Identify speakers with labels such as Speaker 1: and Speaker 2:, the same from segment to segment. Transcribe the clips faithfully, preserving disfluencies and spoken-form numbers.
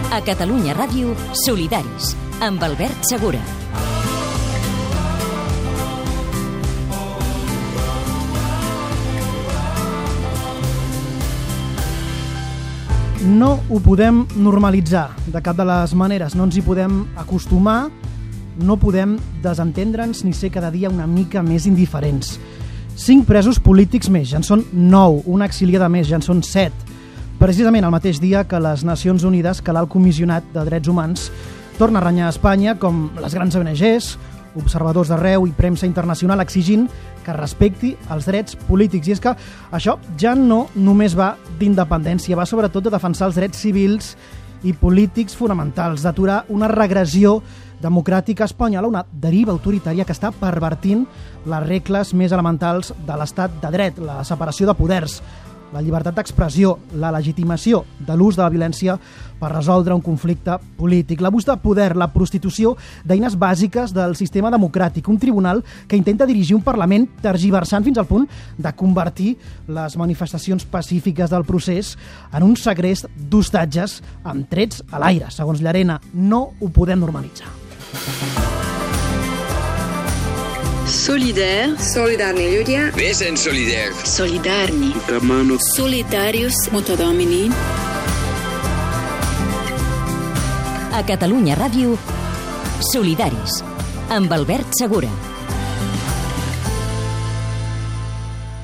Speaker 1: A Catalunya Ràdio, Solidaris, amb Albert Segura.
Speaker 2: No ho podem normalitzar de cap de les maneres, no ens hi podem acostumar, no podem desentendre'ns ni ser cada dia una mica més indiferents. Cinc presos polítics més, ja en són nou, una exiliada més, ja en són set. Precisament el mateix dia que les Nacions Unides, que l'alt comissionat de drets humans torna a renyar a Espanya, com les grans O N Ges, observadors d'arreu i premsa internacional exigint que respecti els drets polítics. I és que això ja no només va d'independència, va sobretot de defensar els drets civils i polítics fonamentals, d'aturar una regressió democràtica espanyola, una deriva autoritària que està pervertint les regles més elementals de l'estat de dret, la separació de poders, la llibertat d'expressió, la legitimació de l'ús de la violència per resoldre un conflicte polític, l'abús de poder, la prostitució d'eines bàsiques del sistema democràtic, un tribunal que intenta dirigir un Parlament tergiversant fins al punt de convertir les manifestacions pacífiques del procés en un segrest d'hostatges amb trets a l'aire. Segons Llarena, no ho podem normalitzar.
Speaker 3: Solidaire.
Speaker 4: Solidarni ľudia.
Speaker 5: Vesen solidaire.
Speaker 3: Solidarni. Solidarius Multidomini.
Speaker 1: A Catalunya Ràdio, Solidaris, amb Albert Segura.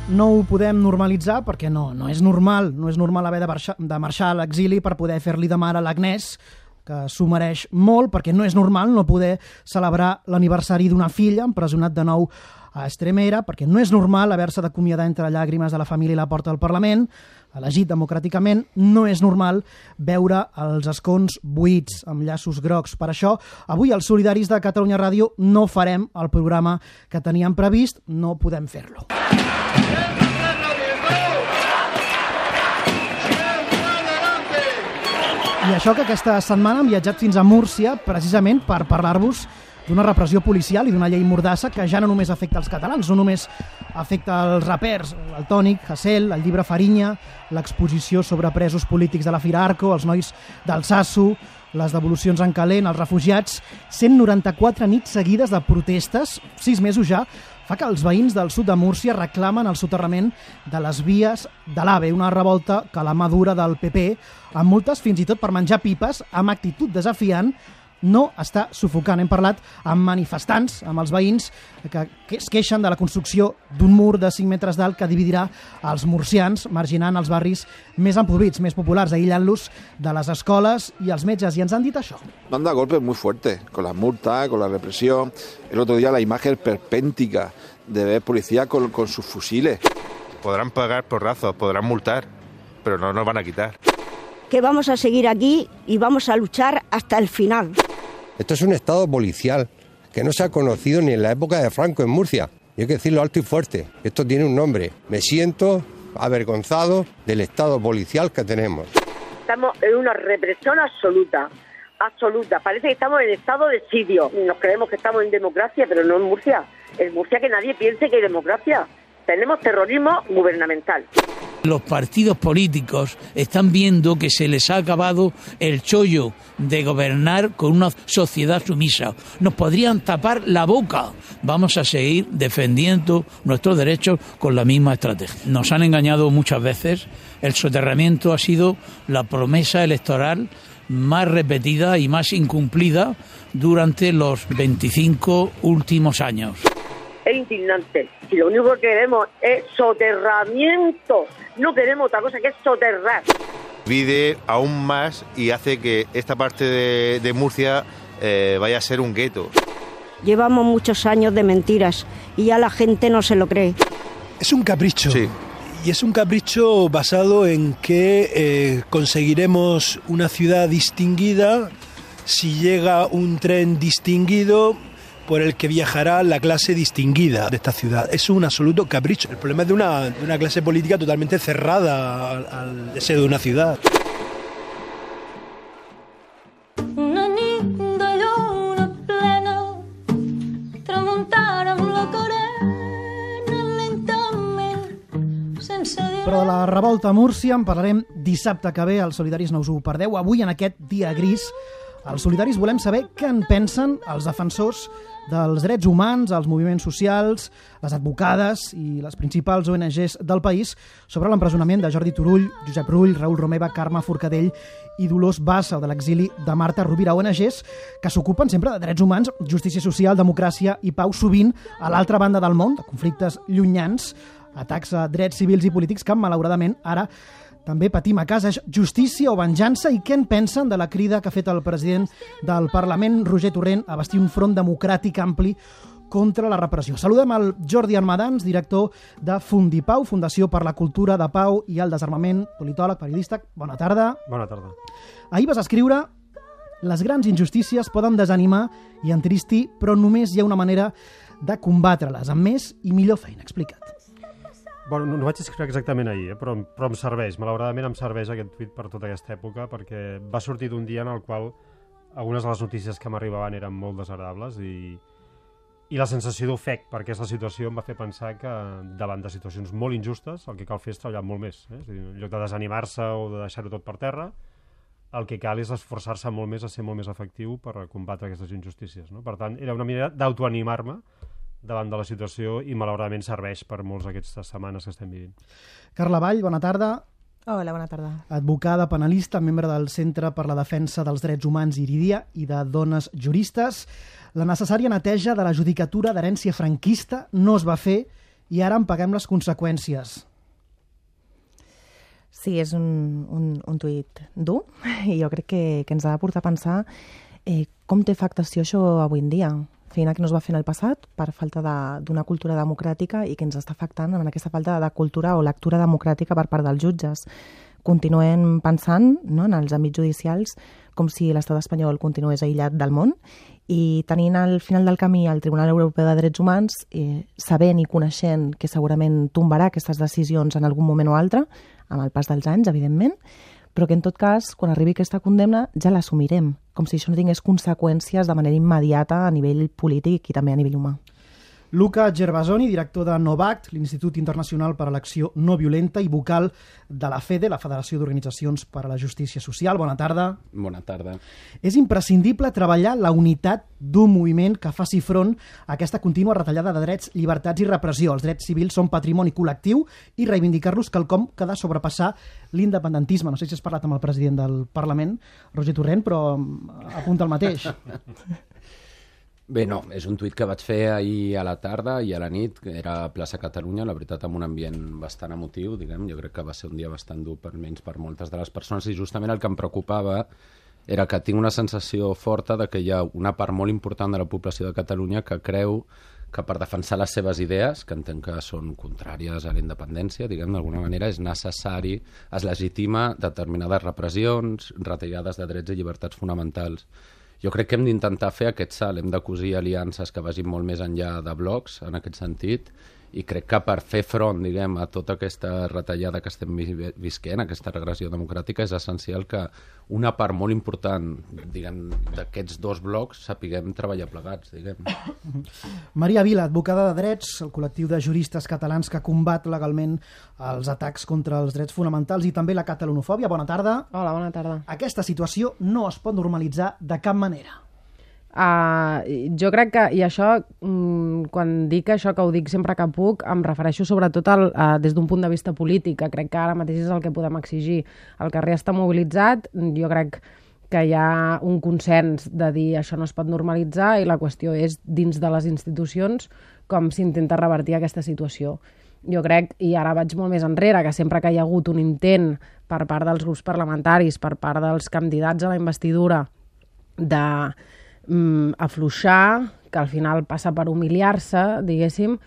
Speaker 2: No ho podem normalitzar perquè no, no és normal, no és normal haver de marxar, de marxar a l'exili per poder fer-li de mare a l'Agnès, que s'ho mereix molt, perquè no és normal no poder celebrar l'aniversari d'una filla empresonat de nou a Extremera, perquè no és normal haver-se d'acomiadar entre llàgrimes de la família i la porta del Parlament, elegit democràticament, no és normal veure els escons buits amb llaços grocs. Per això, avui els solidaris de Catalunya Ràdio no farem el programa que teníem previst, no podem fer-lo. I això que aquesta setmana hem viatjat fins a Múrcia precisament per parlar-vos d'una repressió policial i d'una llei mordassa que ja no només afecta els catalans, no només afecta els rapers, el Tònic, Hasél, el llibre Farinya, l'exposició sobre presos polítics de la Fira Arco, els nois del Sasso, les devolucions en calent, els refugiats, cent noranta-quatre nits seguides de protestes, sis mesos ja, fa que els veïns del sud de Múrcia reclamen el soterrament de les vies de l'AVE, una revolta que la mà dura del P P, amb multes fins i tot per menjar pipes, amb actitud desafiant, no està sufocant. Hem parlat amb manifestants, amb els veïns, que es queixen de la construcció d'un mur de cinc metres d'alt que dividirà els murcians, marginant els barris més empobrits, més populars, aïllant-los de les escoles i els metges. I ens han dit això.
Speaker 6: Nos han dado golpes muy fuertes, con las multas, con la represión. El otro día la imagen perpéntica de ver policía con, con sus fusiles.
Speaker 7: Podrán pagar porrazos, podrán multar, pero no nos van a quitar.
Speaker 8: Que vamos a seguir aquí y vamos a luchar hasta el final.
Speaker 9: Esto es un estado policial que no se ha conocido ni en la época de Franco en Murcia. Y hay que decirlo alto y fuerte. Esto tiene un nombre. Me siento avergonzado del estado policial que tenemos.
Speaker 10: Estamos en una represión absoluta, absoluta. Parece que estamos en estado de sitio. Nos creemos que estamos en democracia, pero no en Murcia. En Murcia que nadie piense que hay democracia. Tenemos terrorismo gubernamental.
Speaker 11: Los partidos políticos están viendo que se les ha acabado el chollo de gobernar con una sociedad sumisa. Nos podrían tapar la boca. Vamos a seguir defendiendo nuestros derechos con la misma estrategia. Nos han engañado muchas veces. El soterramiento ha sido la promesa electoral más repetida y más incumplida durante los veinticinco últimos años.
Speaker 10: Es indignante. Y lo único que queremos es soterramiento. No queremos otra cosa que es soterrar.
Speaker 7: Divide aún más y hace que esta parte de, de Murcia eh, vaya a ser un gueto.
Speaker 8: Llevamos muchos años de mentiras y ya la gente no se lo cree.
Speaker 12: Es un capricho.
Speaker 7: Sí.
Speaker 12: Y es un capricho basado en que eh, conseguiremos una ciudad distinguida si llega un tren distinguido por el que viajará la clase distinguida de esta ciudad. Es un absoluto capricho. El problema es de una, de una clase política totalmente cerrada al, al deseo de una ciudad.
Speaker 13: Una linda luna plena tramuntara amb la corena lentament sense
Speaker 2: Però de la revolta a Múrcia en parlarem dissabte que ve, als Solidaris no us ho perdeu. Avui, en aquest dia gris, als Solidaris volem saber què en pensen els defensors dels drets humans, els moviments socials, les advocades i les principals O N Ges del país sobre l'empresonament de Jordi Turull, Josep Rull, Raül Romeva, Carme Forcadell i Dolors Bassa, o de l'exili de Marta Rovira, O N Ges que s'ocupen sempre de drets humans, justícia social, democràcia i pau, sovint a l'altra banda del món, de conflictes llunyans, atacs a drets civils i polítics que, malauradament, ara també patim a casa. Justícia o venjança? I què en pensen de la crida que ha fet el president del Parlament, Roger Torrent, a bastir un front democràtic ampli contra la repressió? Saludem el Jordi Armadans, director de Fundipau, Fundació per la Cultura de Pau i el Desarmament, politòleg, periodista. Bona tarda.
Speaker 4: Bona tarda.
Speaker 2: Ahir vas escriure: les grans injustícies poden desanimar i entristir, però només hi ha una manera de combatre-les, amb més i millor feina. Explica't.
Speaker 4: Bueno, no, no vaig escriure exactament ahir, eh? però, però em serveix, malauradament em serveix aquest tuit per tota aquesta època, perquè va sortir d'un dia en el qual algunes de les notícies que m'arribaven eren molt desagradables i, i la sensació d'ofec per aquesta situació em va fer pensar que davant de situacions molt injustes el que cal fer és treballar molt més. Eh? És a dir, en lloc de desanimar-se o de deixar-ho tot per terra, el que cal és esforçar-se molt més a ser molt més efectiu per combatre aquestes injustícies. No? Per tant, era una manera d'autoanimar-me davant de la situació i malauradament serveix per molts d'aquestes setmanes que estem vivint.
Speaker 2: Carla Vall, bona tarda.
Speaker 5: Hola, bona tarda.
Speaker 2: Advocada, penalista, membre del Centre per la Defensa dels Drets Humans Iridia i de Dones Juristes. La necessària neteja de la judicatura d'herència franquista no es va fer i ara en paguem les conseqüències.
Speaker 5: Sí, és un, un, un tuit dur i jo crec que, que ens ha de portar a pensar eh, com té afectació això avui en dia. Feina que no es va fer en el passat per falta d'una cultura democràtica i que ens està afectant en aquesta falta de cultura o lectura democràtica per part dels jutges. Continuem pensant, no, en els àmbits judicials com si l'estat espanyol continués aïllat del món i tenint al final del camí el Tribunal Europeu de Drets Humans, eh, sabent i coneixent que segurament tombarà aquestes decisions en algun moment o altre, amb el pas dels anys, evidentment, però que en tot cas, quan arribi aquesta condemna, ja l'assumirem, com si això no tingués conseqüències de manera immediata a nivell polític i també a nivell humà.
Speaker 2: Luca Gervasoni, director de NOVACT, l'Institut Internacional per a l'Acció No Violenta i vocal de la FEDE, la Federació d'Organitzacions per a la Justícia Social. Bona tarda.
Speaker 14: Bona tarda.
Speaker 2: És imprescindible treballar la unitat d'un moviment que faci front a aquesta contínua retallada de drets, llibertats i repressió. Els drets civils són patrimoni col·lectiu i reivindicar-los quelcom que ha de sobrepassar l'independentisme. No sé si has parlat amb el president del Parlament, Roger Torrent, però apunta el mateix.
Speaker 14: Bé, no, és un tuit que vaig fer ahir a la tarda i a la nit, que era a Plaça Catalunya, la veritat amb un ambient bastant emotiu, diguem, jo crec que va ser un dia bastant dur per menys per moltes de les persones i justament el que em preocupava era que tinc una sensació forta de que hi ha una part molt important de la població de Catalunya que creu que per defensar les seves idees, que entenc que són contràries a la independència, diguem, d'alguna manera és necessari, es legitima determinades repressions, retallades de drets i llibertats fonamentals. Jo crec que hem d'intentar fer aquest salt, hem de cosir aliances que vagin molt més enllà de blocs, en aquest sentit, i crec que per fer front, diguem, a tota aquesta retallada que estem visquent, aquesta regressió democràtica, és essencial que una part molt important, diguem, d'aquests dos blocs sapiguem treballar plegats, diguem.
Speaker 2: Maria Vila, advocada de drets, el col·lectiu de juristes catalans que combat legalment els atacs contra els drets fonamentals i també la catalanofòbia. Bona tarda.
Speaker 15: Hola, bona tarda.
Speaker 2: Aquesta situació no es pot normalitzar de cap manera.
Speaker 15: Uh, jo crec que, i això, um, quan dic això, que ho dic sempre que puc, em refereixo sobretot al, uh, des d'un punt de vista polític, que crec que ara mateix és el que podem exigir. El carrer està mobilitzat, jo crec que hi ha un consens de dir això no es pot normalitzar i la qüestió és dins de les institucions com s'intenta revertir aquesta situació. Jo crec, i ara vaig molt més enrere, que sempre que hi ha hagut un intent per part dels grups parlamentaris, per part dels candidats a la investidura de afluixar, que al final passa per humiliar-se, diguéssim,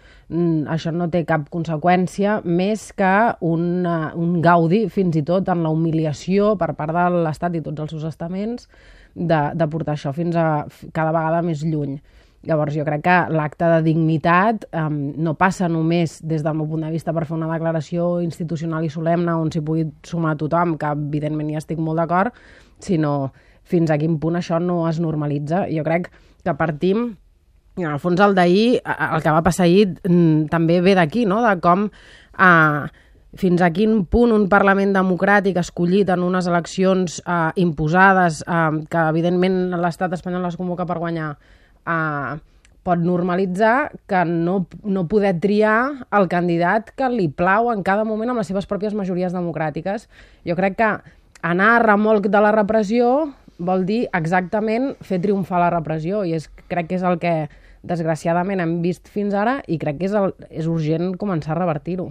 Speaker 15: això no té cap conseqüència més que un, un gaudi, fins i tot en la humiliació per part de l'Estat i tots els seus estaments, de, de portar això fins a cada vegada més lluny. Llavors jo crec que l'acte de dignitat um, no passa només des del meu punt de vista per fer una declaració institucional i solemne on s'hi pugui sumar tothom, que evidentment hi estic molt d'acord, sinó fins a quin punt això no es normalitza. Jo crec que partim, en el fons el d'ahir, el que va passar ahir també ve d'aquí, no? De com eh, fins a quin punt un Parlament democràtic escollit en unes eleccions eh, imposades, eh, que evidentment l'estat espanyol les convoca per guanyar, eh, pot normalitzar que no, no poder triar el candidat que li plau en cada moment amb les seves pròpies majories democràtiques. Jo crec que anar a remolc de la repressió vol dir exactament fer triomfar la repressió, i és, crec que és el que desgraciadament hem vist fins ara, i crec que és, el, és urgent començar a revertir-ho.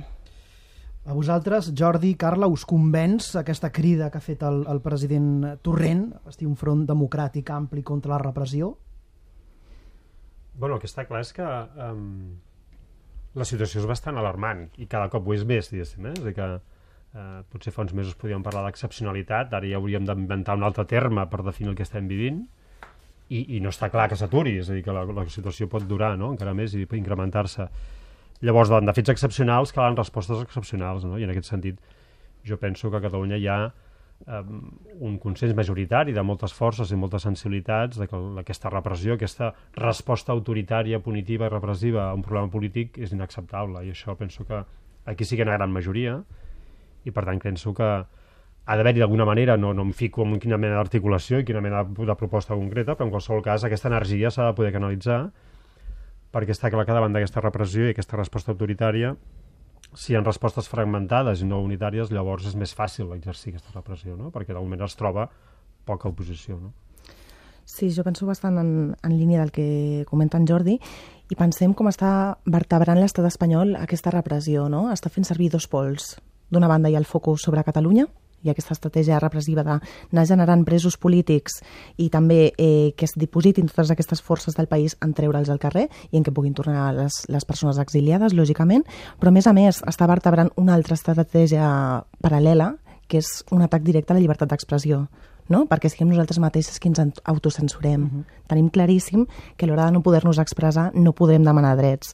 Speaker 2: A vosaltres, Jordi, Carla, us convenç aquesta crida que ha fet el, el president Torrent, bastir un front democràtic ampli contra la repressió?
Speaker 4: Bueno, el que està clar és que um, la situació és bastant alarmant i cada cop ho és més, diguéssim, eh? És a dir que uh, potser fa uns mesos podíem parlar d'excepcionalitat, ara ja hauríem d'inventar un altre terme per definir el que estem vivint, i, i no està clar que s'aturi, és a dir, que la, la situació pot durar, no?, encara més i incrementar-se. Llavors, davant de fets excepcionals calen respostes excepcionals, no? I en aquest sentit jo penso que a Catalunya hi ha um, un consens majoritari de moltes forces i moltes sensibilitats de que aquesta repressió, aquesta resposta autoritària, punitiva i repressiva a un problema polític és inacceptable, i això penso que aquí sí que hi ha una gran majoria, i per tant penso que ha d'haver-hi d'alguna manera, no, no em fico en quina mena d'articulació i quina mena de proposta concreta, però en qualsevol cas aquesta energia s'ha de poder canalitzar, perquè està clar que davant d'aquesta repressió i aquesta resposta autoritària, si hi ha respostes fragmentades i no unitàries, llavors és més fàcil exercir aquesta repressió, no? Perquè d'algun moment es troba poca oposició, no?
Speaker 5: Sí, jo penso bastant en, en línia del que comenta en Jordi, i pensem com està vertebrant l'estat espanyol aquesta repressió, no? Està fent servir dos pols. D'una banda hi ha el focus sobre Catalunya, i aquesta estratègia repressiva d'anar generant presos polítics i també eh, que es dipositin totes aquestes forces del país en treure'ls al carrer i en què puguin tornar les, les persones exiliades, lògicament, però a més a més està vertebrant una altra estratègia paral·lela, que és un atac directe a la llibertat d'expressió, no? Perquè siguem nosaltres mateixes qui ens autocensurem. Uh-huh. Tenim claríssim que a l'hora de no poder-nos expressar no podem demanar drets.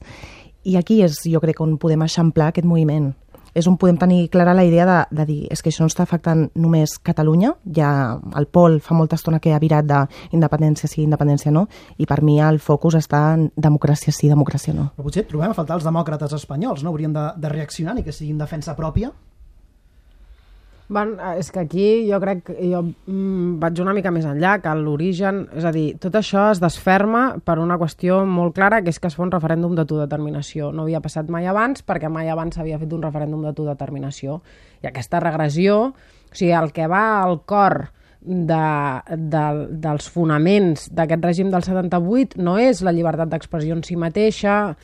Speaker 5: I aquí és, jo crec, on podem eixamplar aquest moviment. És on podem tenir clara la idea de, de dir és que això no està afectant només Catalunya, ja el Pol fa molta estona que ha virat d'independència sí, independència no, i per mi el focus està en democràcia sí, democràcia no.
Speaker 2: Però potser trobem a faltar els demòcrates espanyols, no? Haurien de, de reaccionar ni que sigui en defensa pròpia?
Speaker 15: Bueno, és que aquí jo crec que jo mm, vaig una mica més enllà, que l'origen, és a dir, tot això es desferma per una qüestió molt clara, que és que es fa un referèndum d'autodeterminació. No havia passat mai abans, perquè mai abans s'havia fet un referèndum d'autodeterminació. I aquesta regressió, o sigui, el que va al cor de, de, dels fonaments d'aquest règim del setanta-vuit no és la llibertat d'expressió en si mateixa.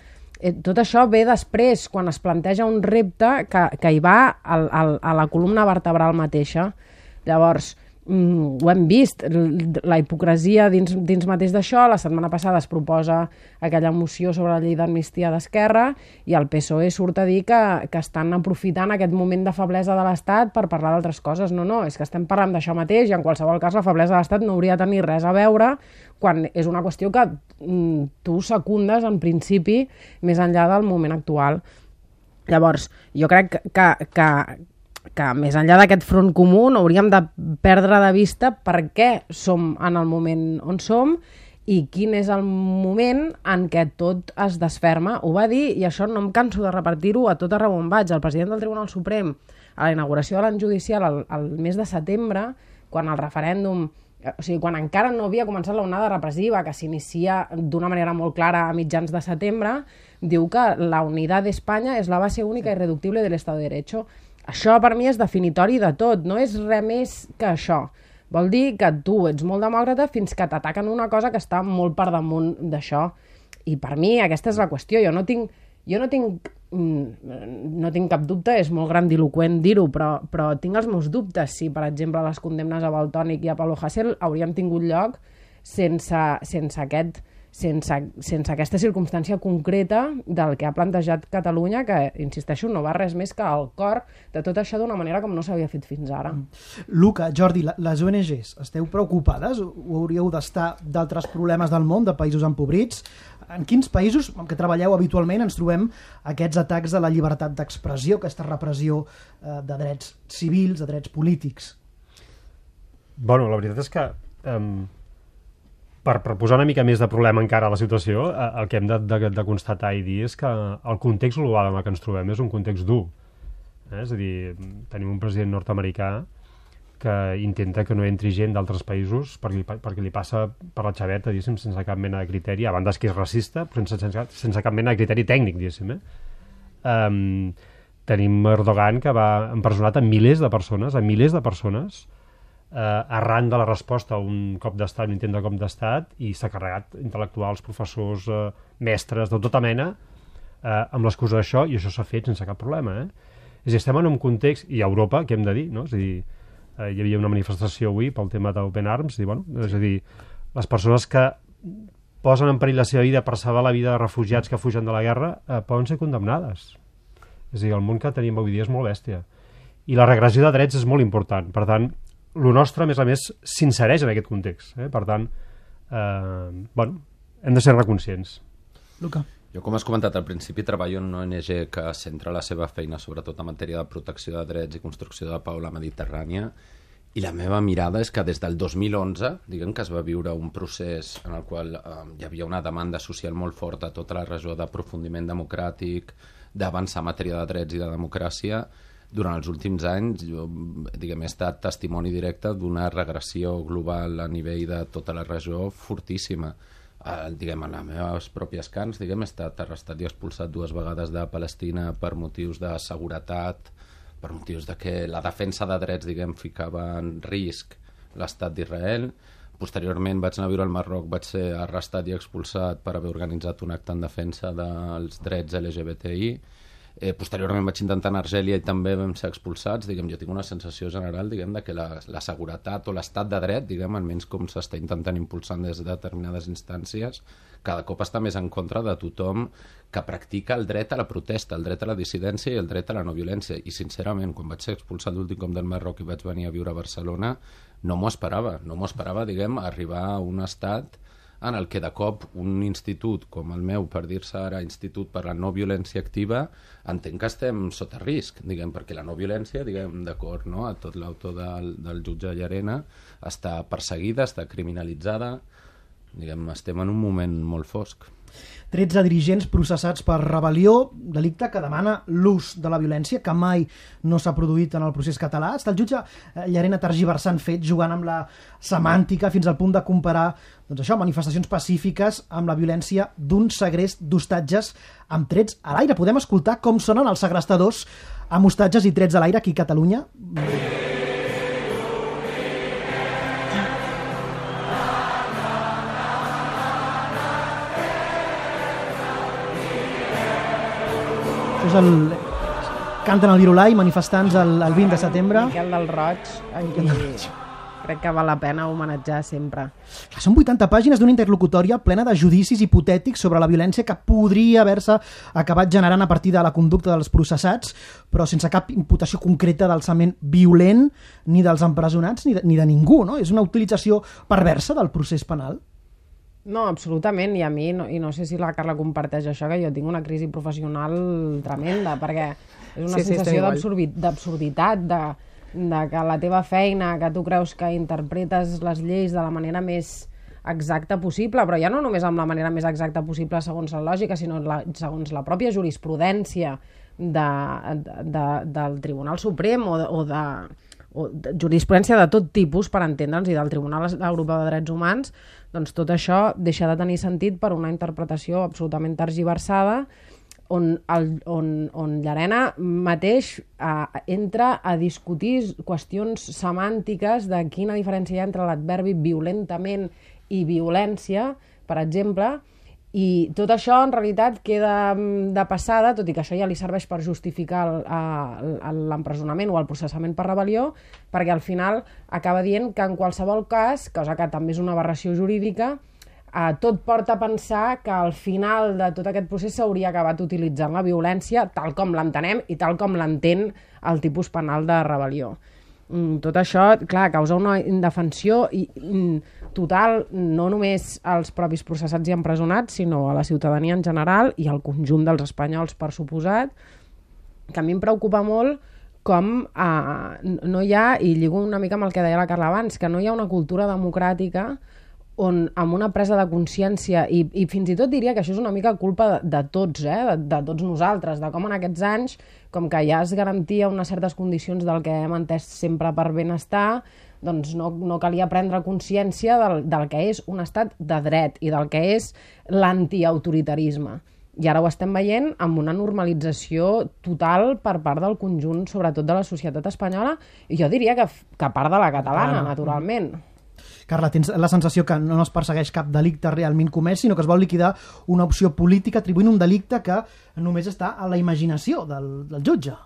Speaker 15: Tot això ve després, quan es planteja un repte que, que hi va al, al, a la columna vertebral mateixa. Llavors, mm, ho hem vist, la hipocresia dins, dins mateix d'això. La setmana passada es proposa aquella moció sobre la llei d'amnistia d'Esquerra i el P S O E surt a dir que, que estan aprofitant aquest moment de feblesa de l'Estat per parlar d'altres coses. No, no, és que estem parlant d'això mateix i en qualsevol cas la feblesa de l'Estat no hauria de tenir res a veure quan és una qüestió que mm, tu secundes en principi més enllà del moment actual. Llavors, jo crec que, que, que més enllà d'aquest front comú no hauríem de perdre de vista per què som en el moment on som i quin és el moment en què tot es desferma. Ho va dir, i això no em canso de repetir-ho a tot arreu on vaig, el president del Tribunal Suprem a la inauguració de l'any judicial el, el mes de setembre, quan el referèndum, o sigui, quan encara no havia començat l'onada repressiva, que s'inicia d'una manera molt clara a mitjans de setembre, diu que la unitat d'Espanya és la base única i irreductible de l'Estado de Derecho. Això per mi és definitori de tot, no és res més que això. Vol dir que tu ets molt demòcrata fins que t'ataquen una cosa que està molt per damunt d'això. I per mi aquesta és la qüestió. Jo no tinc, jo no tinc, no tinc cap dubte, és molt grandiloqüent dir-ho, però, però tinc els meus dubtes si, per exemple, les condemnes a Valtònyc i a Pablo Hasél haurien tingut lloc sense, sense aquest... Sense, sense aquesta circumstància concreta del que ha plantejat Catalunya, que, insisteixo, no va res més que al cor de tot això d'una manera com no s'havia fet fins ara.
Speaker 2: Luca, Jordi, les O N Ges, esteu preocupades? O hauríeu d'estar d'altres problemes del món, de països empobrits? En quins països amb què treballeu habitualment ens trobem aquests atacs a la llibertat d'expressió, aquesta repressió eh, de drets civils, de drets polítics?
Speaker 4: Bueno, la veritat és que... Um... Per, per posar una mica més de problema encara a la situació, eh, el que hem de, de, de constatar i dir és que el context global en el que ens trobem és un context dur. Eh? És a dir, tenim un president nord-americà que intenta que no entri gent d'altres països perquè, perquè li passa per la xaveta, diguéssim, sense cap mena de criteri, a banda que és racista, però sense, sense, sense cap mena de criteri tècnic, diguéssim. Eh? Um, tenim Erdogan, que va empresonat a milers de persones, a milers de persones, eh, arran de la resposta a un cop d'estat, un intent de cop d'estat, i s'ha carregat intel·lectuals, professors, eh, mestres, de tota mena, eh, amb l'excusa d'això, i això s'ha fet sense cap problema. Eh? És a dir, estem en un context, i a Europa, què hem de dir, no? És a dir, eh, hi havia una manifestació avui pel tema d'Open Arms, i, bueno, és a dir, les persones que posen en perill la seva vida per salvar la vida de refugiats que fugen de la guerra eh, poden ser condemnades. És a dir, el món que tenim avui dia és molt bèstia. I la regressió de drets és molt important. Per tant, el nostre, a més a més, s'insereix en aquest context. Eh? Per tant, eh, bueno, hem de ser reconscients.
Speaker 2: Luca.
Speaker 14: Jo, com has comentat al principi, treballo en una O N G que centra la seva feina sobretot en matèria de protecció de drets i construcció de pau a la Mediterrània, i la meva mirada és que des del dos mil onze, diguem que es va viure un procés en el qual eh, hi havia una demanda social molt forta a tota la regió d'aprofundiment democràtic, d'avançar en matèria de drets i de democràcia. Durant els últims anys jo, diguem, he estat testimoni directe d'una regressió global a nivell de tota la regió fortíssima. Eh, diguem, en les meves pròpies cants, diguem, he estat arrestat i expulsat dues vegades de Palestina per motius de seguretat, per motius de que la defensa de drets, diguem, ficava en risc l'estat d'Israel. Posteriorment vaig anar a viure al Marroc, vaig ser arrestat i expulsat per haver organitzat un acte en defensa dels drets L G B T I. Eh, posteriorment vaig intentar anar a Argèlia i també vam ser expulsats. Diguem, jo tinc una sensació general, diguem, de que la, la seguretat o l'estat de dret, diguem, almenys com s'està intentant impulsar des de determinades instàncies, cada cop està més en contra de tothom que practica el dret a la protesta, el dret a la dissidència i el dret a la no violència. I sincerament, quan vaig ser expulsat l'últim cop del Marroc i vaig venir a viure a Barcelona, no m'ho esperava, no m'ho esperava, diguem, arribar a un estat en el que de cop un institut com el meu, per dir-se ara Institut per la No Violència Activa, entenc que estem sota risc, diguem, perquè la no violència, diguem, d'acord, no?, a tot l'autor del, del jutge Llarena, està perseguida, està criminalitzada, diguem, estem en un moment molt fosc.
Speaker 2: tretze dirigents processats per rebel·lió, delicte que demana l'ús de la violència, que mai no s'ha produït en el procés català. Està el jutge Llarena tergiversant fets, jugant amb la semàntica fins al punt de comparar, doncs això, manifestacions pacífiques amb la violència d'un segrest d'hostatges amb trets a l'aire. Podem escoltar com sonen els segrestadors amb hostatges i trets a l'aire aquí a Catalunya? És el... Canten el Virolai, manifestants el, el vint de setembre.
Speaker 15: Miquel del Roig, aquí crec que val la pena homenatjar sempre.
Speaker 2: Són vuitanta pàgines d'una interlocutòria plena de judicis hipotètics sobre la violència que podria haver-se acabat generant a partir de la conducta dels processats, però sense cap imputació concreta d'alçament violent ni dels empresonats ni de, ni de ningú, no? És una utilització perversa del procés penal.
Speaker 15: No, absolutament, i a mi, no, i no sé si la Carla comparteix això, que jo tinc una crisi professional tremenda, perquè és una sí, sensació sí, d'absurditat, de, de que la teva feina, que tu creus que interpretes les lleis de la manera més exacta possible, però ja no només amb la manera més exacta possible segons la lògica, sinó la, segons la pròpia jurisprudència de, de, del Tribunal Suprem o de, o de, o de jurisprudència de tot tipus, per entendre'ns, i del Tribunal Europeu de Drets Humans, doncs tot això deixa de tenir sentit per una interpretació absolutament tergiversada on, el, on, on Llarena mateix eh, entra a discutir qüestions semàntiques de quina diferència hi ha entre l'adverbi violentament i violència, per exemple, i tot això en realitat queda de passada, tot i que això ja li serveix per justificar l'empresonament o el processament per rebel·lió, perquè al final acaba dient que en qualsevol cas, cosa que també és una aberració jurídica, eh, tot porta a pensar que al final de tot aquest procés s'hauria acabat utilitzant la violència tal com l'entenem i tal com l'entén el tipus penal de rebel·lió. Tot això, clar, causa una indefensió i, total, no només als propis processats i empresonats, sinó a la ciutadania en general i al conjunt dels espanyols, per suposat, que a mi em preocupa molt com eh, no hi ha, i lligo una mica amb el que deia la Carla abans, que no hi ha una cultura democràtica on amb una presa de consciència, i, i fins i tot diria que això és una mica culpa de, de tots, eh? de, de tots nosaltres, de com en aquests anys com que ja es garantia unes certes condicions del que hem entès sempre per benestar, doncs no, no calia prendre consciència del, del que és un estat de dret i del que és l'antiautoritarisme. I ara ho estem veient amb una normalització total per part del conjunt, sobretot de la societat espanyola, i jo diria que, que a part de la catalana, ah, naturalment.
Speaker 2: Carla, tens la sensació que no es persegueix cap delicte realment comès, sinó que es vol liquidar una opció política atribuint un delicte que només està a la imaginació del, del jutge.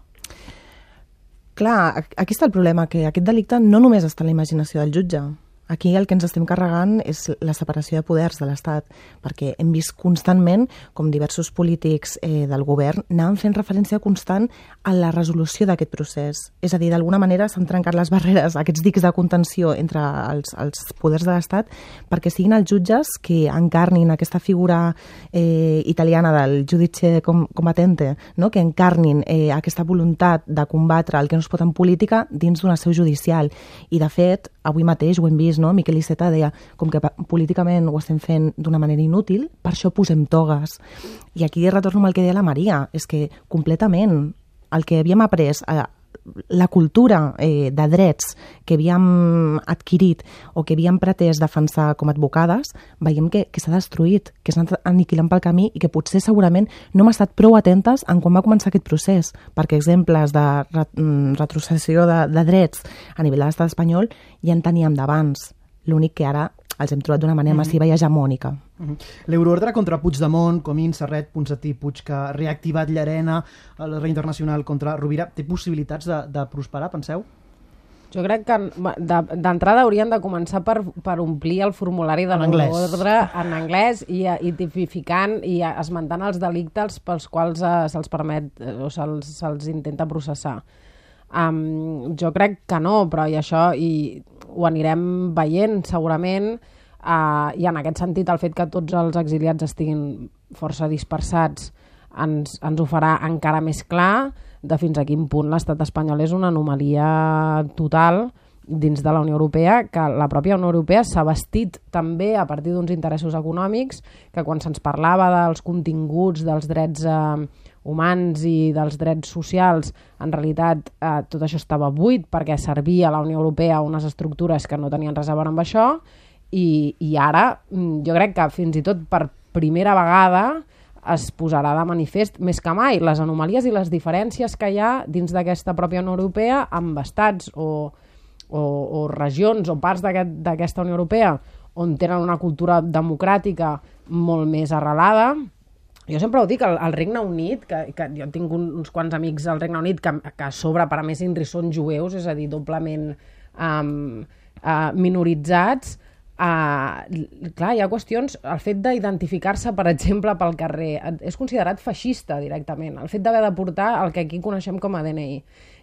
Speaker 5: Clar, aquí està el problema, que aquest delicte no només està a la imaginació del jutge. Aquí el que ens estem carregant és la separació de poders de l'Estat, perquè hem vist constantment com diversos polítics eh, del govern anaven fent referència constant a la resolució d'aquest procés. És a dir, d'alguna manera s'han trencat les barreres, aquests dics de contenció entre els, els poders de l'Estat, perquè siguin els jutges que encarnin aquesta figura eh, italiana del giudice com, combattente, no? Que encarnin eh, aquesta voluntat de combatre el que no es pot en política dins d'una seu judicial. I, de fet, avui mateix ho hem vist, no? Miquel Iceta deia, com que políticament ho estem fent d'una manera inútil, per això posem togues. I aquí retorno amb el que deia la Maria, és que completament el que havíem après, eh, la cultura eh, de drets que havíem adquirit o que havíem pretès defensar com a advocades, veiem que, que s'ha destruït, que s'ha anat aniquilant pel camí i que potser segurament no hem estat prou atentes en quan va començar aquest procés, perquè exemples de retrocessió de, de drets a nivell de l'estat espanyol ja en teníem d'abans. L'únic que ara els hem trobat d'una manera massiva i hegemònica.
Speaker 2: Uh-huh. L'euroordre contra Puigdemont, Comín, Serret, Ponsatí, Puig, que ha reactivat Llarena, el rei internacional contra Rovira, té possibilitats de, de prosperar, penseu?
Speaker 15: Jo crec que d'entrada haurien de començar per, per omplir el formulari de l'euroordre en anglès i, i tipificant i esmentant els delictes pels quals eh, se'ls permet eh, o se'ls se intenta processar. Um, jo crec que no, però i això i ho anirem veient segurament, uh, i en aquest sentit el fet que tots els exiliats estiguin força dispersats ens, ens ho farà encara més clar de fins a quin punt l'estat espanyol és una anomalia total dins de la Unió Europea, que la pròpia Unió Europea s'ha vestit també a partir d'uns interessos econòmics, que quan se'ns parlava dels continguts dels drets eh, humans i dels drets socials, en realitat eh, tot això estava buit perquè servia a la Unió Europea unes estructures que no tenien res a veure amb això, i, i ara jo crec que fins i tot per primera vegada es posarà de manifest més que mai les anomalies i les diferències que hi ha dins d'aquesta pròpia Unió Europea amb estats o, o, o regions o parts d'aquesta aquest, Unió Europea on tenen una cultura democràtica molt més arrelada. Jo sempre ho dic, el, el Regne Unit, que, que jo tinc un, uns quants amics al Regne Unit que, que a sobre, per a més, Indri són jueus, és a dir, doblement um, uh, minoritzats. Uh, clar, hi ha qüestions, el fet d'identificar-se, per exemple, pel carrer, és considerat feixista directament, el fet d'haver de portar el que aquí coneixem com a D N I.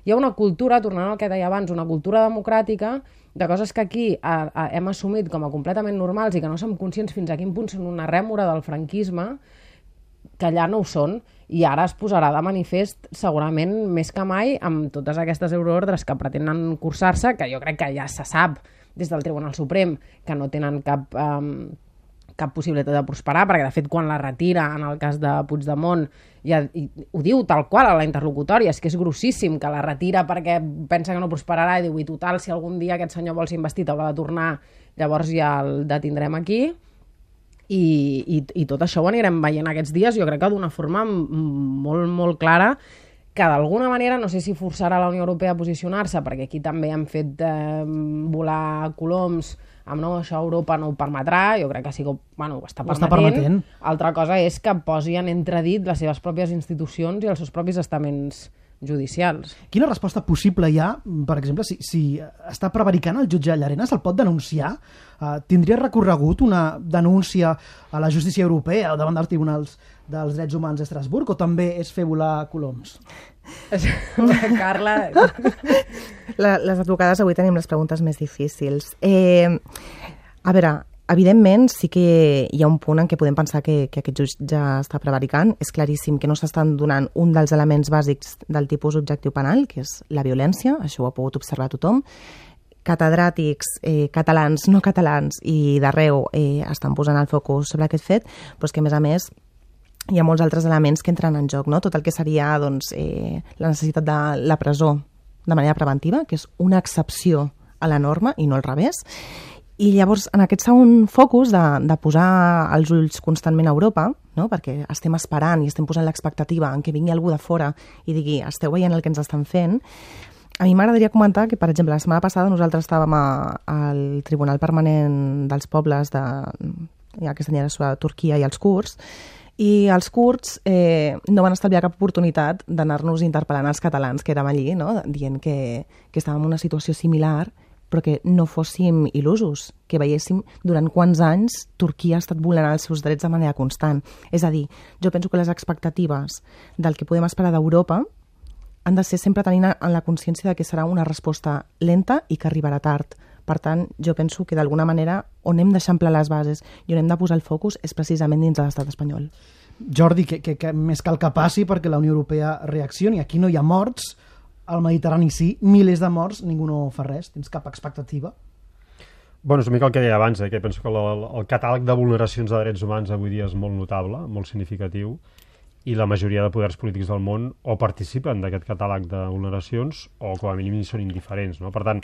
Speaker 15: Hi ha una cultura, tornant al que deia abans, una cultura democràtica de coses que aquí uh, uh, hem assumit com a completament normals i que no som conscients fins a quin punt són una rèmora del franquisme, que allà no ho són, i ara es posarà de manifest segurament més que mai amb totes aquestes euroordres que pretenen cursar-se, que jo crec que ja se sap des del Tribunal Suprem que no tenen cap, um, cap possibilitat de prosperar, perquè de fet quan la retira en el cas de Puigdemont ja, i, ho diu tal qual a la interlocutòria, és que és grossíssim que la retira perquè pensa que no prosperarà i diu, i total, si algun dia aquest senyor vol ser investit haurà de tornar, llavors ja el detindrem aquí. I, i, i tot això ho anirem veient aquests dies, jo crec que d'una forma molt, molt clara, que d'alguna manera, no sé si forçarà la Unió Europea a posicionar-se, perquè aquí també han fet eh, volar coloms amb no, això Europa no ho permetrà, jo crec que sí que bueno, ho està permetent. Està permetent. Altra cosa és que posi en entredit les seves pròpies institucions i els seus propis estaments judicials.
Speaker 2: Quina resposta possible hi ha, per exemple, si, si està prevaricant el jutge Llarena, se'l pot denunciar? Uh, tindria recorregut una denúncia a la justícia europea o davant dels tribunals dels drets humans d'Estrasburg, o també és fer volar coloms?
Speaker 15: Carla...
Speaker 5: La, les advocades avui tenim les preguntes més difícils. Eh, a veure, evidentment sí que hi ha un punt en què podem pensar que, que aquest jutge ja està prevaricant. És claríssim que no s'estan donant un dels elements bàsics del tipus objectiu penal, que és la violència, això ho ha pogut observar tothom. Catedràtics, eh, catalans, no catalans i d'arreu eh, estan posant el focus sobre aquest fet, però és que a més a més hi ha molts altres elements que entren en joc, no? Tot el que seria doncs, eh, la necessitat de la presó de manera preventiva, que és una excepció a la norma i no al revés. I llavors, en aquest segon focus de, de posar els ulls constantment a Europa, no? Perquè estem esperant i estem posant l'expectativa en què vingui algú de fora i digui, esteu veient el que ens estan fent, a mi m'agradaria comentar que, per exemple, la setmana passada nosaltres estàvem a, al Tribunal Permanent dels Pobles de, aquesta senyora sobre Turquia i els kurds, i els kurds eh, no van estalviar cap oportunitat d'anar-nos interpel·lant als catalans que érem allí, no? Dient que, que estàvem en una situació similar, però que no fóssim il·lusos, que veiéssim durant quants anys Turquia ha estat vulnerant els seus drets de manera constant. És a dir, jo penso que les expectatives del que podem esperar d'Europa han de ser sempre tenint en la consciència de que serà una resposta lenta i que arribarà tard. Per tant, jo penso que d'alguna manera on hem d'eixamplar les bases i on hem de posar el focus és precisament dins de l'estat espanyol.
Speaker 2: Jordi, que, que, que més cal que passi perquè la Unió Europea reaccioni. Aquí no hi ha morts, al Mediterrani sí, milers de morts, ningú no fa res. Tens cap expectativa?
Speaker 4: Bueno, és una mica el que deia abans, eh, que penso que el, el catàleg de vulneracions de drets humans avui dia és molt notable, molt significatiu, i la majoria de poders polítics del món o participen d'aquest catàleg de vulneracions o com a mínim són indiferents, no? Per tant,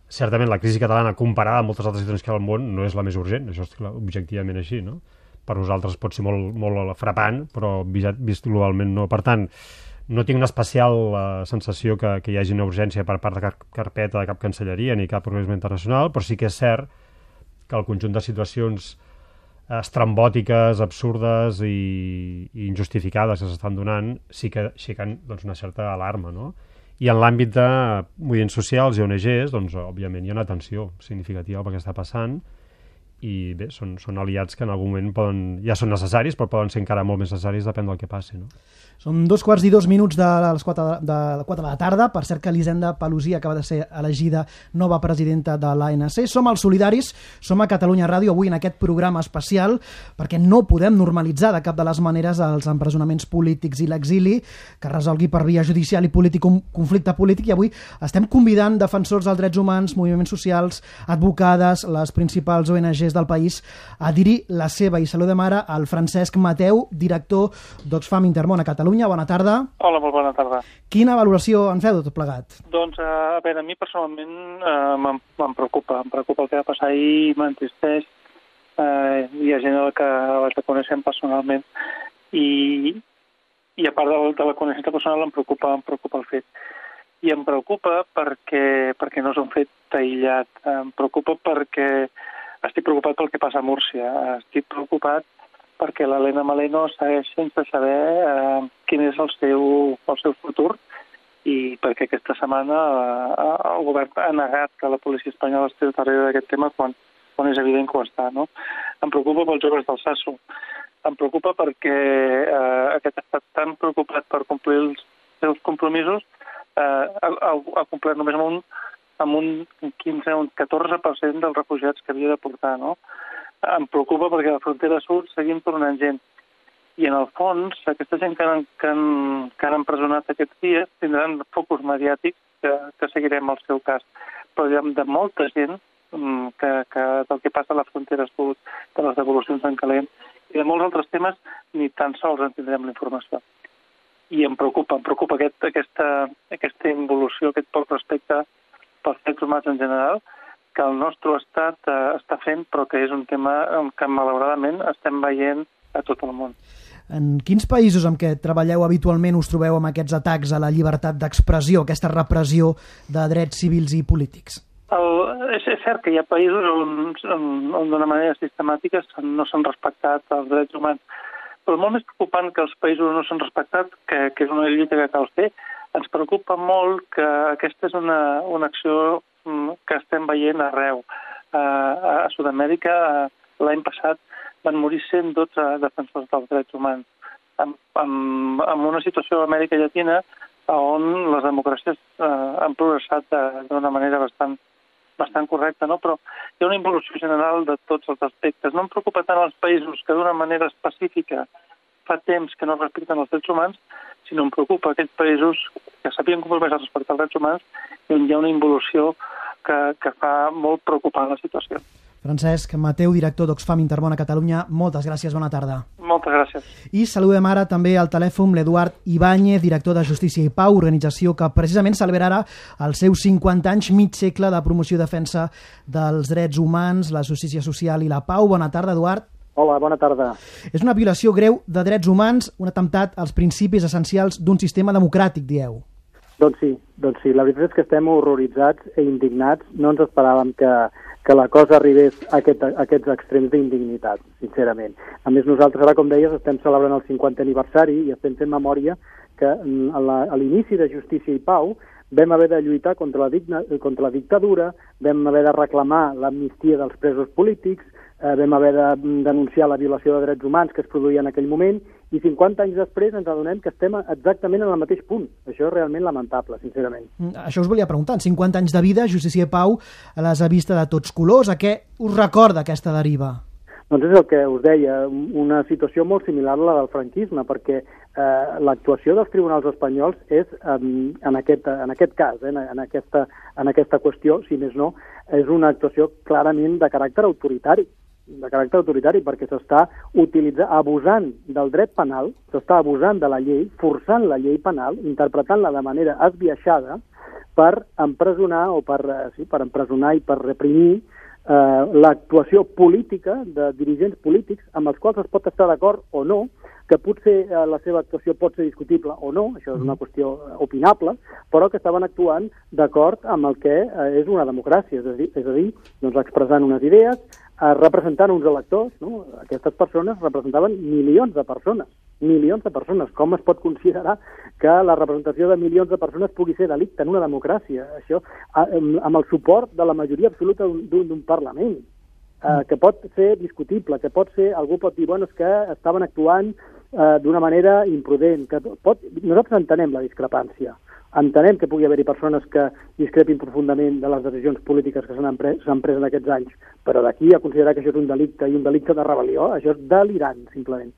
Speaker 4: certament la crisi catalana comparada amb moltes altres situacions que hi ha al món no és la més urgent, això és objectivament així, no? Per nosaltres pot ser molt, molt frapant, però vist, vist globalment no. Per tant, no tinc una especial uh, sensació que, que hi hagi una urgència per part de cap carpeta de cap cancelleria ni cap organisme internacional, però sí que és cert que el conjunt de situacions estrambòtiques, absurdes i, i injustificades que s'estan donant sí que aixequen doncs, una certa alarma, no? I en l'àmbit de moviments socials i O N Ges, doncs, òbviament hi ha una atenció significativa pel que està passant i bé, són, són aliats que en algun moment poden, ja són necessaris, però poden ser encara molt més necessaris, depèn del que passi, no?
Speaker 2: Són dos quarts i dos minuts de les quatre de, de, quatre de la tarda. Per cert que Elisenda Palusí acaba de ser elegida nova presidenta de l'A N C. Som els Solidaris, som a Catalunya Ràdio avui en aquest programa especial perquè no podem normalitzar de cap de les maneres els empresonaments polítics i l'exili, que resolgui per via judicial i polític un conflicte polític, i avui estem convidant defensors dels drets humans, moviments socials, advocades, les principals O N Ges del país a dir-hi la seva. I saludem ara al Francesc Mateu, director d'Oxfam Intermón a Catalunya. Bona tarda.
Speaker 16: Hola, molt bona tarda.
Speaker 2: Quina valoració en feu de tot plegat?
Speaker 16: Doncs, a veure, a mi personalment eh, me'n preocupa. Em preocupa el que va passar ahir, m'entristeix. Eh, hi ha gent que la coneixem personalment i, i a part de, de la coneixença personal em preocupa, em preocupa el fet. I em preocupa perquè, perquè no és un fet aïllat. Em preocupa perquè estic preocupat pel que passa a Múrcia. Estic preocupat perquè l'Helena Maleno segueix sense saber eh, quin és el seu, el seu futur i perquè aquesta setmana eh, el govern ha negat que la policia espanyola estigui darrere d'aquest tema quan, quan és evident que ho està, no? Em preocupa pels joves del Sasso. Em preocupa perquè eh, aquest estat tan preocupat per complir els seus compromisos eh, ha, ha complert només amb un, amb un quinze, un catorze per cent dels refugiats que havia de portar, no? Em preocupa perquè a la frontera sud seguim tornant gent. I en el fons, aquesta gent que han, que han, que han empresonat aquests dies tindran focus mediàtics que, que seguirem el seu cas. Però hi ha de molta gent que, que del que passa a la frontera sud, de les devolucions en calent, i de molts altres temes ni tan sols en tindrem la informació. I em preocupa, em preocupa aquest, aquesta, aquesta involució, aquest poc respecte pels drets humans en general, que el nostre estat eh, està fent, però que és un tema que malauradament estem veient a tot el món.
Speaker 2: En quins països amb què treballeu habitualment us trobeu amb aquests atacs a la llibertat d'expressió, aquesta repressió de drets civils i polítics?
Speaker 16: El, és, és cert que hi ha països on, on, on d'una manera sistemàtica no s'han respectat els drets humans, però molt més preocupant que els països no s'han respectat, que, que és una lluita que cal fer, ens preocupa molt que aquesta és una, una acció que estem veient arreu. A Sud-amèrica l'any passat van morir cent dotze defensors dels drets humans. En, en, en una situació a Amèrica Llatina on les democràcies eh, han progressat d'una manera bastant, bastant correcta, no? Però hi ha una involució general de tots els aspectes. No em preocupa tant els països que d'una manera específica fa temps que no respecten els drets humans, sinó em preocupa aquells països que s'havien compromès a respectar els drets humans i on hi ha una involució que, que fa molt preocupant la situació.
Speaker 2: Francesc Mateu, director d'Oxfam Intermón a Catalunya, moltes gràcies, bona tarda.
Speaker 16: Moltes gràcies.
Speaker 2: I saludem ara també al telèfon l'Eduard Ibáñez, director de Justícia i Pau, organització que precisament celebrarà els seus cinquanta anys, mig segle de promoció i defensa dels drets humans, la justícia social i la pau. Bona tarda, Eduard.
Speaker 17: Hola, bona tarda.
Speaker 2: És una violació greu de drets humans, un atemptat als principis essencials d'un sistema democràtic, dieu.
Speaker 17: Doncs sí, doncs sí. La veritat és que estem horroritzats i indignats. No ens esperàvem que, que la cosa arribés a, aquest, a aquests extrems d'indignitat, sincerament. A més, nosaltres ara, com deies, estem celebrant el cinquantè aniversari i estem fent memòria que a, la, a l'inici de Justícia i Pau vam haver de lluitar contra la, digna, contra la dictadura, vam haver de reclamar l'amnistia dels presos polítics, Eh, vam haver de denunciar la violació de drets humans que es produïa en aquell moment i cinquanta anys després ens adonem que estem exactament en el mateix punt. Això és realment lamentable, sincerament.
Speaker 2: Això us volia preguntar. En cinquanta anys de vida, Justícia i Pau les ha vist de tots colors. A què us recorda aquesta deriva?
Speaker 17: Doncs és el que us deia, una situació molt similar a la del franquisme, perquè eh, l'actuació dels tribunals espanyols és, eh, en, aquest, en aquest cas, eh, en, aquesta, en aquesta qüestió, si més no, és una actuació clarament de caràcter autoritari. de caràcter autoritari, perquè s'està utilitzant, abusant del dret penal, s'està abusant de la llei, forçant la llei penal, interpretant-la de manera esbiaixada per empresonar o per, sí, per empresonar i per reprimir eh, l'actuació política de dirigents polítics amb els quals es pot estar d'acord o no, que potser eh, la seva actuació pot ser discutible o no, això és una qüestió opinable, però que estaven actuant d'acord amb el que eh, és una democràcia, és a dir, és a dir doncs expressant unes idees, eh, representant uns electors, no? Aquestes persones representaven milions de persones, milions de persones. Com es pot considerar que la representació de milions de persones pugui ser delicte en una democràcia? Això, amb el suport de la majoria absoluta d'un Parlament, eh, que pot ser discutible, que pot ser, algú pot dir, bueno, és que estaven actuant eh, d'una manera imprudent. Que pot, nosaltres entenem la discrepància, entenem que pugui haver-hi persones que discrepin profundament de les decisions polítiques que s'han pres, pres en aquests anys, però d'aquí a considerar que això és un delicte i un delicte de rebel·lió, això és delirant, simplement.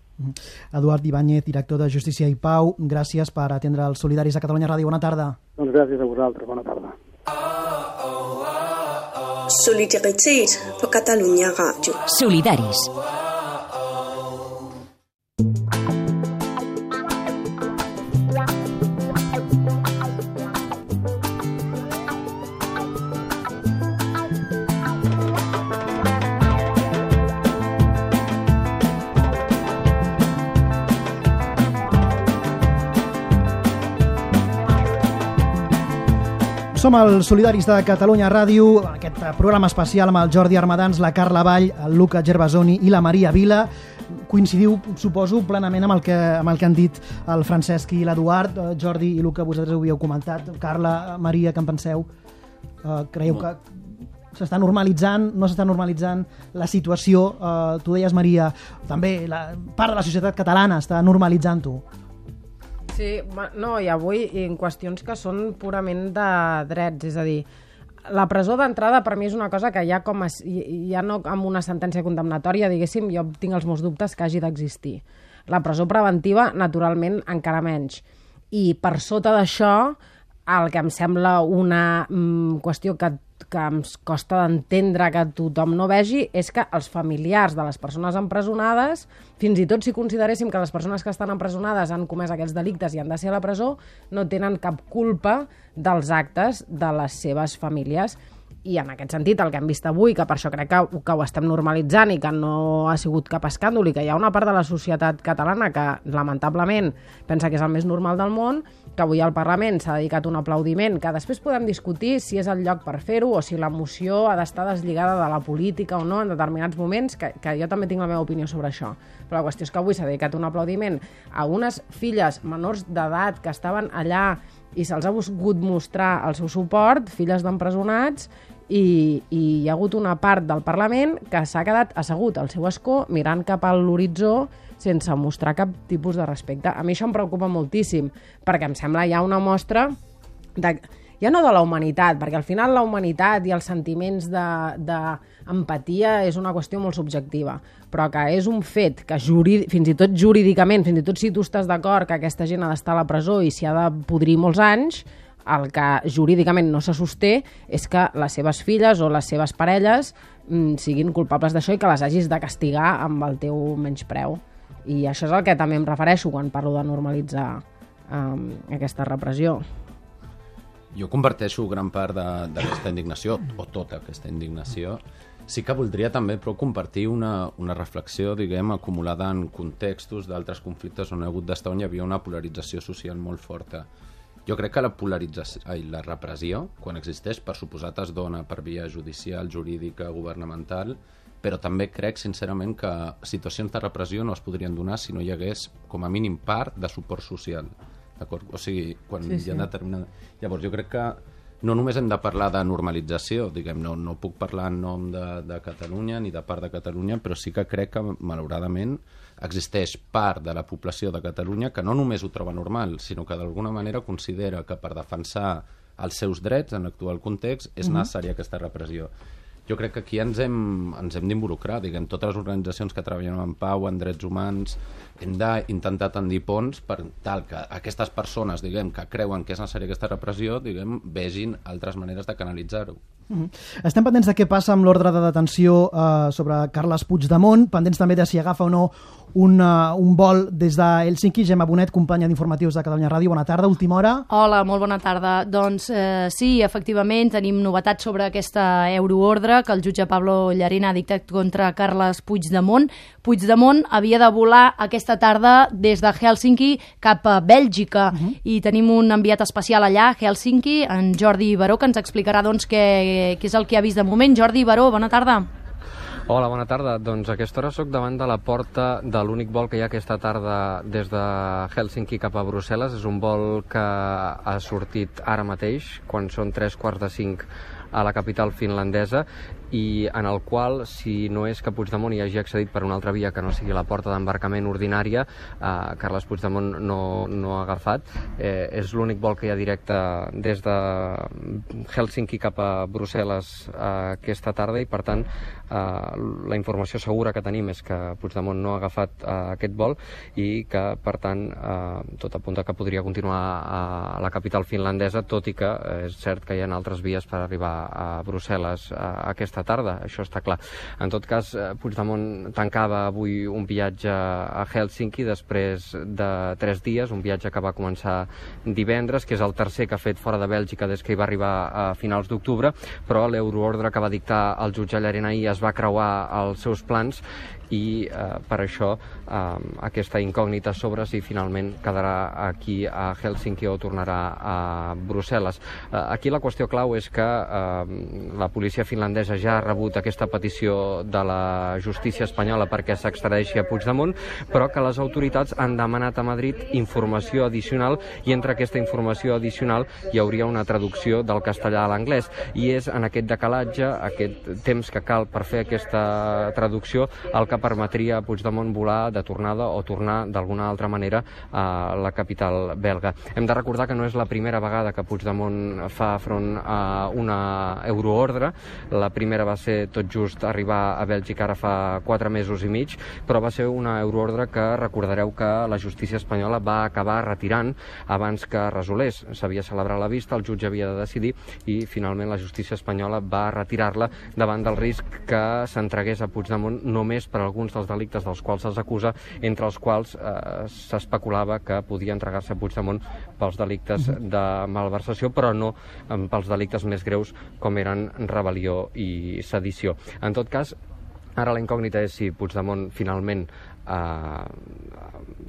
Speaker 2: Eduard Ibáñez, director de Justícia i Pau, gràcies per atendre els solidaris a Catalunya Ràdio. Bona tarda.
Speaker 17: Doncs gràcies a vosaltres. Bona tarda.
Speaker 1: Solidaritat på Catalunya Ràdio. Solidaris.
Speaker 2: Som els Solidaris de Catalunya Ràdio, aquest programa especial amb el Jordi Armadans, la Carla Vall, el Luca Gervasoni i la Maria Vila. Coincidiu, suposo, plenament amb el que, amb el que han dit el Francesc i l'Eduard. Jordi i Luca, vosaltres ho havíeu comentat. Carla, Maria, què en penseu? Uh, creieu que s'està normalitzant, no s'està normalitzant la situació? Uh, tu deies, Maria, també la part de la societat catalana està normalitzant-ho.
Speaker 15: Sí, no, i avui en qüestions que són purament de drets, és a dir, la presó d'entrada per mi és una cosa que ja com a, ja no amb una sentència condemnatòria, diguéssim, jo tinc els meus dubtes que hagi d'existir. La presó preventiva, naturalment, encara menys. I per sota d'això, el que em sembla una mm, qüestió que que em costa d'entendre que tothom no vegi és que els familiars de les persones empresonades, fins i tot si consideréssim que les persones que estan empresonades han comès aquests delictes i han de ser a la presó, no tenen cap culpa dels actes de les seves famílies. I en aquest sentit, el que hem vist avui, que per això crec que, que ho estem normalitzant i que no ha sigut cap escàndol i que hi ha una part de la societat catalana que, lamentablement, pensa que és el més normal del món, que avui al Parlament s'ha dedicat un aplaudiment, que després podem discutir si és el lloc per fer-ho o si l'emoció ha d'estar deslligada de la política o no en determinats moments, que, que jo també tinc la meva opinió sobre això. Però la qüestió és que avui s'ha dedicat un aplaudiment a unes filles menors d'edat que estaven allà i se'ls ha volgut mostrar el seu suport, filles d'empresonats, i, i hi ha hagut una part del Parlament que s'ha quedat assegut al seu escó mirant cap a l'horitzó sense mostrar cap tipus de respecte. A mi això em preocupa moltíssim, perquè em sembla ja una mostra de, ja no de la humanitat, perquè al final la humanitat i els sentiments d'empatia és una qüestió molt subjectiva, però que és un fet que jurídic, fins i tot jurídicament, fins i tot si tu estàs d'acord que aquesta gent ha d'estar a la presó i s'hi ha de podrir molts anys, el que jurídicament no se sosté és que les seves filles o les seves parelles mm, siguin culpables d'això i que les hagis de castigar amb el teu menyspreu. I això és el que també em refereixo quan parlo de normalitzar um, aquesta repressió.
Speaker 14: Jo comparteixo gran part d'aquesta indignació, o tota aquesta indignació. Sí que voldria també però compartir una, una reflexió, diguem, acumulada en contextos d'altres conflictes on ha hagut d'estar on hi havia una polarització social molt forta. Jo crec que la polarització, ai, la repressió, quan existeix, per suposat es dona per via judicial, jurídica, governamental, però també crec, sincerament, que situacions de repressió no es podrien donar si no hi hagués, com a mínim, part de suport social. D'acord? O sigui, quan sí, sí. hi ha determinada... Llavors, jo crec que no només hem de parlar de normalització, diguem, no, no puc parlar en nom de, de Catalunya ni de part de Catalunya, però sí que crec que, malauradament, existeix part de la població de Catalunya que no només ho troba normal, sinó que d'alguna manera considera que per defensar els seus drets en l'actual context és
Speaker 15: Mhm.
Speaker 14: necessària aquesta repressió. Jo crec que aquí ens hem, ens hem d'involucrar, diguem, totes les organitzacions que treballen en pau, en drets humans, hem d'intentar tendir ponts per tal que aquestes persones, diguem, que creuen que és necessària aquesta repressió, diguem, vegin altres maneres de canalitzar-ho.
Speaker 2: Mm-hmm. Estem pendents de què passa amb l'ordre de detenció eh, sobre Carles Puigdemont, pendents també de si agafa o no un, uh, un vol des de Helsinki. Gemma Bonet, companya d'informatius de Catalunya Ràdio. Bona tarda, última hora.
Speaker 18: Hola, molt bona tarda. Doncs eh, sí, efectivament, tenim novetats sobre aquesta euroordre que el jutge Pablo Llarena ha dictat contra Carles Puigdemont. Puigdemont havia de volar aquesta tarda des de Helsinki cap a Bèlgica uh-huh. i tenim un enviat especial allà, a Helsinki, en Jordi Baró, que ens explicarà doncs, què, què és el que ha vist de moment. Jordi Baró, bona tarda.
Speaker 19: Hola, bona tarda. Doncs a aquesta hora soc davant de la porta de l'únic vol que hi ha aquesta tarda des de Helsinki cap a Brussel·les. És un vol que ha sortit ara mateix, quan són tres quarts de cinc a la capital finlandesa, i en el qual, si no és que Puigdemont hi hagi accedit per una altra via que no sigui la porta d'embarcament ordinària, eh, Carles Puigdemont no, no ha agafat. Eh, és l'únic vol que hi ha directe des de Helsinki cap a Brussel·les eh, aquesta tarda, i per tant eh, la informació segura que tenim és que Puigdemont no ha agafat eh, aquest vol i que, per tant, eh, tot apunta que podria continuar a, a la capital finlandesa, tot i que eh, és cert que hi ha altres vies per arribar a Brussel·les eh, aquesta tarda, això està clar. En tot cas, Puigdemont tancava avui un viatge a Helsinki després de tres dies, un viatge que va començar divendres, que és el tercer que ha fet fora de Bèlgica des que hi va arribar a finals d'octubre, però l'euroordre que va dictar el jutge Llarena ahir es va creuar els seus plans i eh, per això eh, aquesta incògnita sobre si finalment quedarà aquí a Helsinki o tornarà a Brussel·les. Eh, aquí la qüestió clau és que eh, la policia finlandesa ja ha rebut aquesta petició de la justícia espanyola perquè s'extradeixi a Puigdemont, però que les autoritats han demanat a Madrid informació addicional, i entre aquesta informació addicional hi hauria una traducció del castellà a l'anglès, i és en aquest decalatge, aquest temps que cal per fer aquesta traducció, el que permetria a Puigdemont volar de tornada o tornar d'alguna altra manera a la capital belga. Hem de recordar que no és la primera vegada que Puigdemont fa front a una euroordre. La primera va ser tot just arribar a Bèlgica ara fa quatre mesos i mig, però va ser una euroordre que recordareu que la justícia espanyola va acabar retirant abans que resolés. S'havia celebrat la vista, el jutge havia de decidir i finalment la justícia espanyola va retirar-la davant del risc que s'entregués a Puigdemont només per alguns dels delictes dels quals se'ls acusa, entre els quals eh, s'especulava que podia entregar-se a Puigdemont pels delictes de malversació, però no eh, pels delictes més greus com eren rebel·lió i sedició. En tot cas, ara la incògnita és si Puigdemont finalment eh,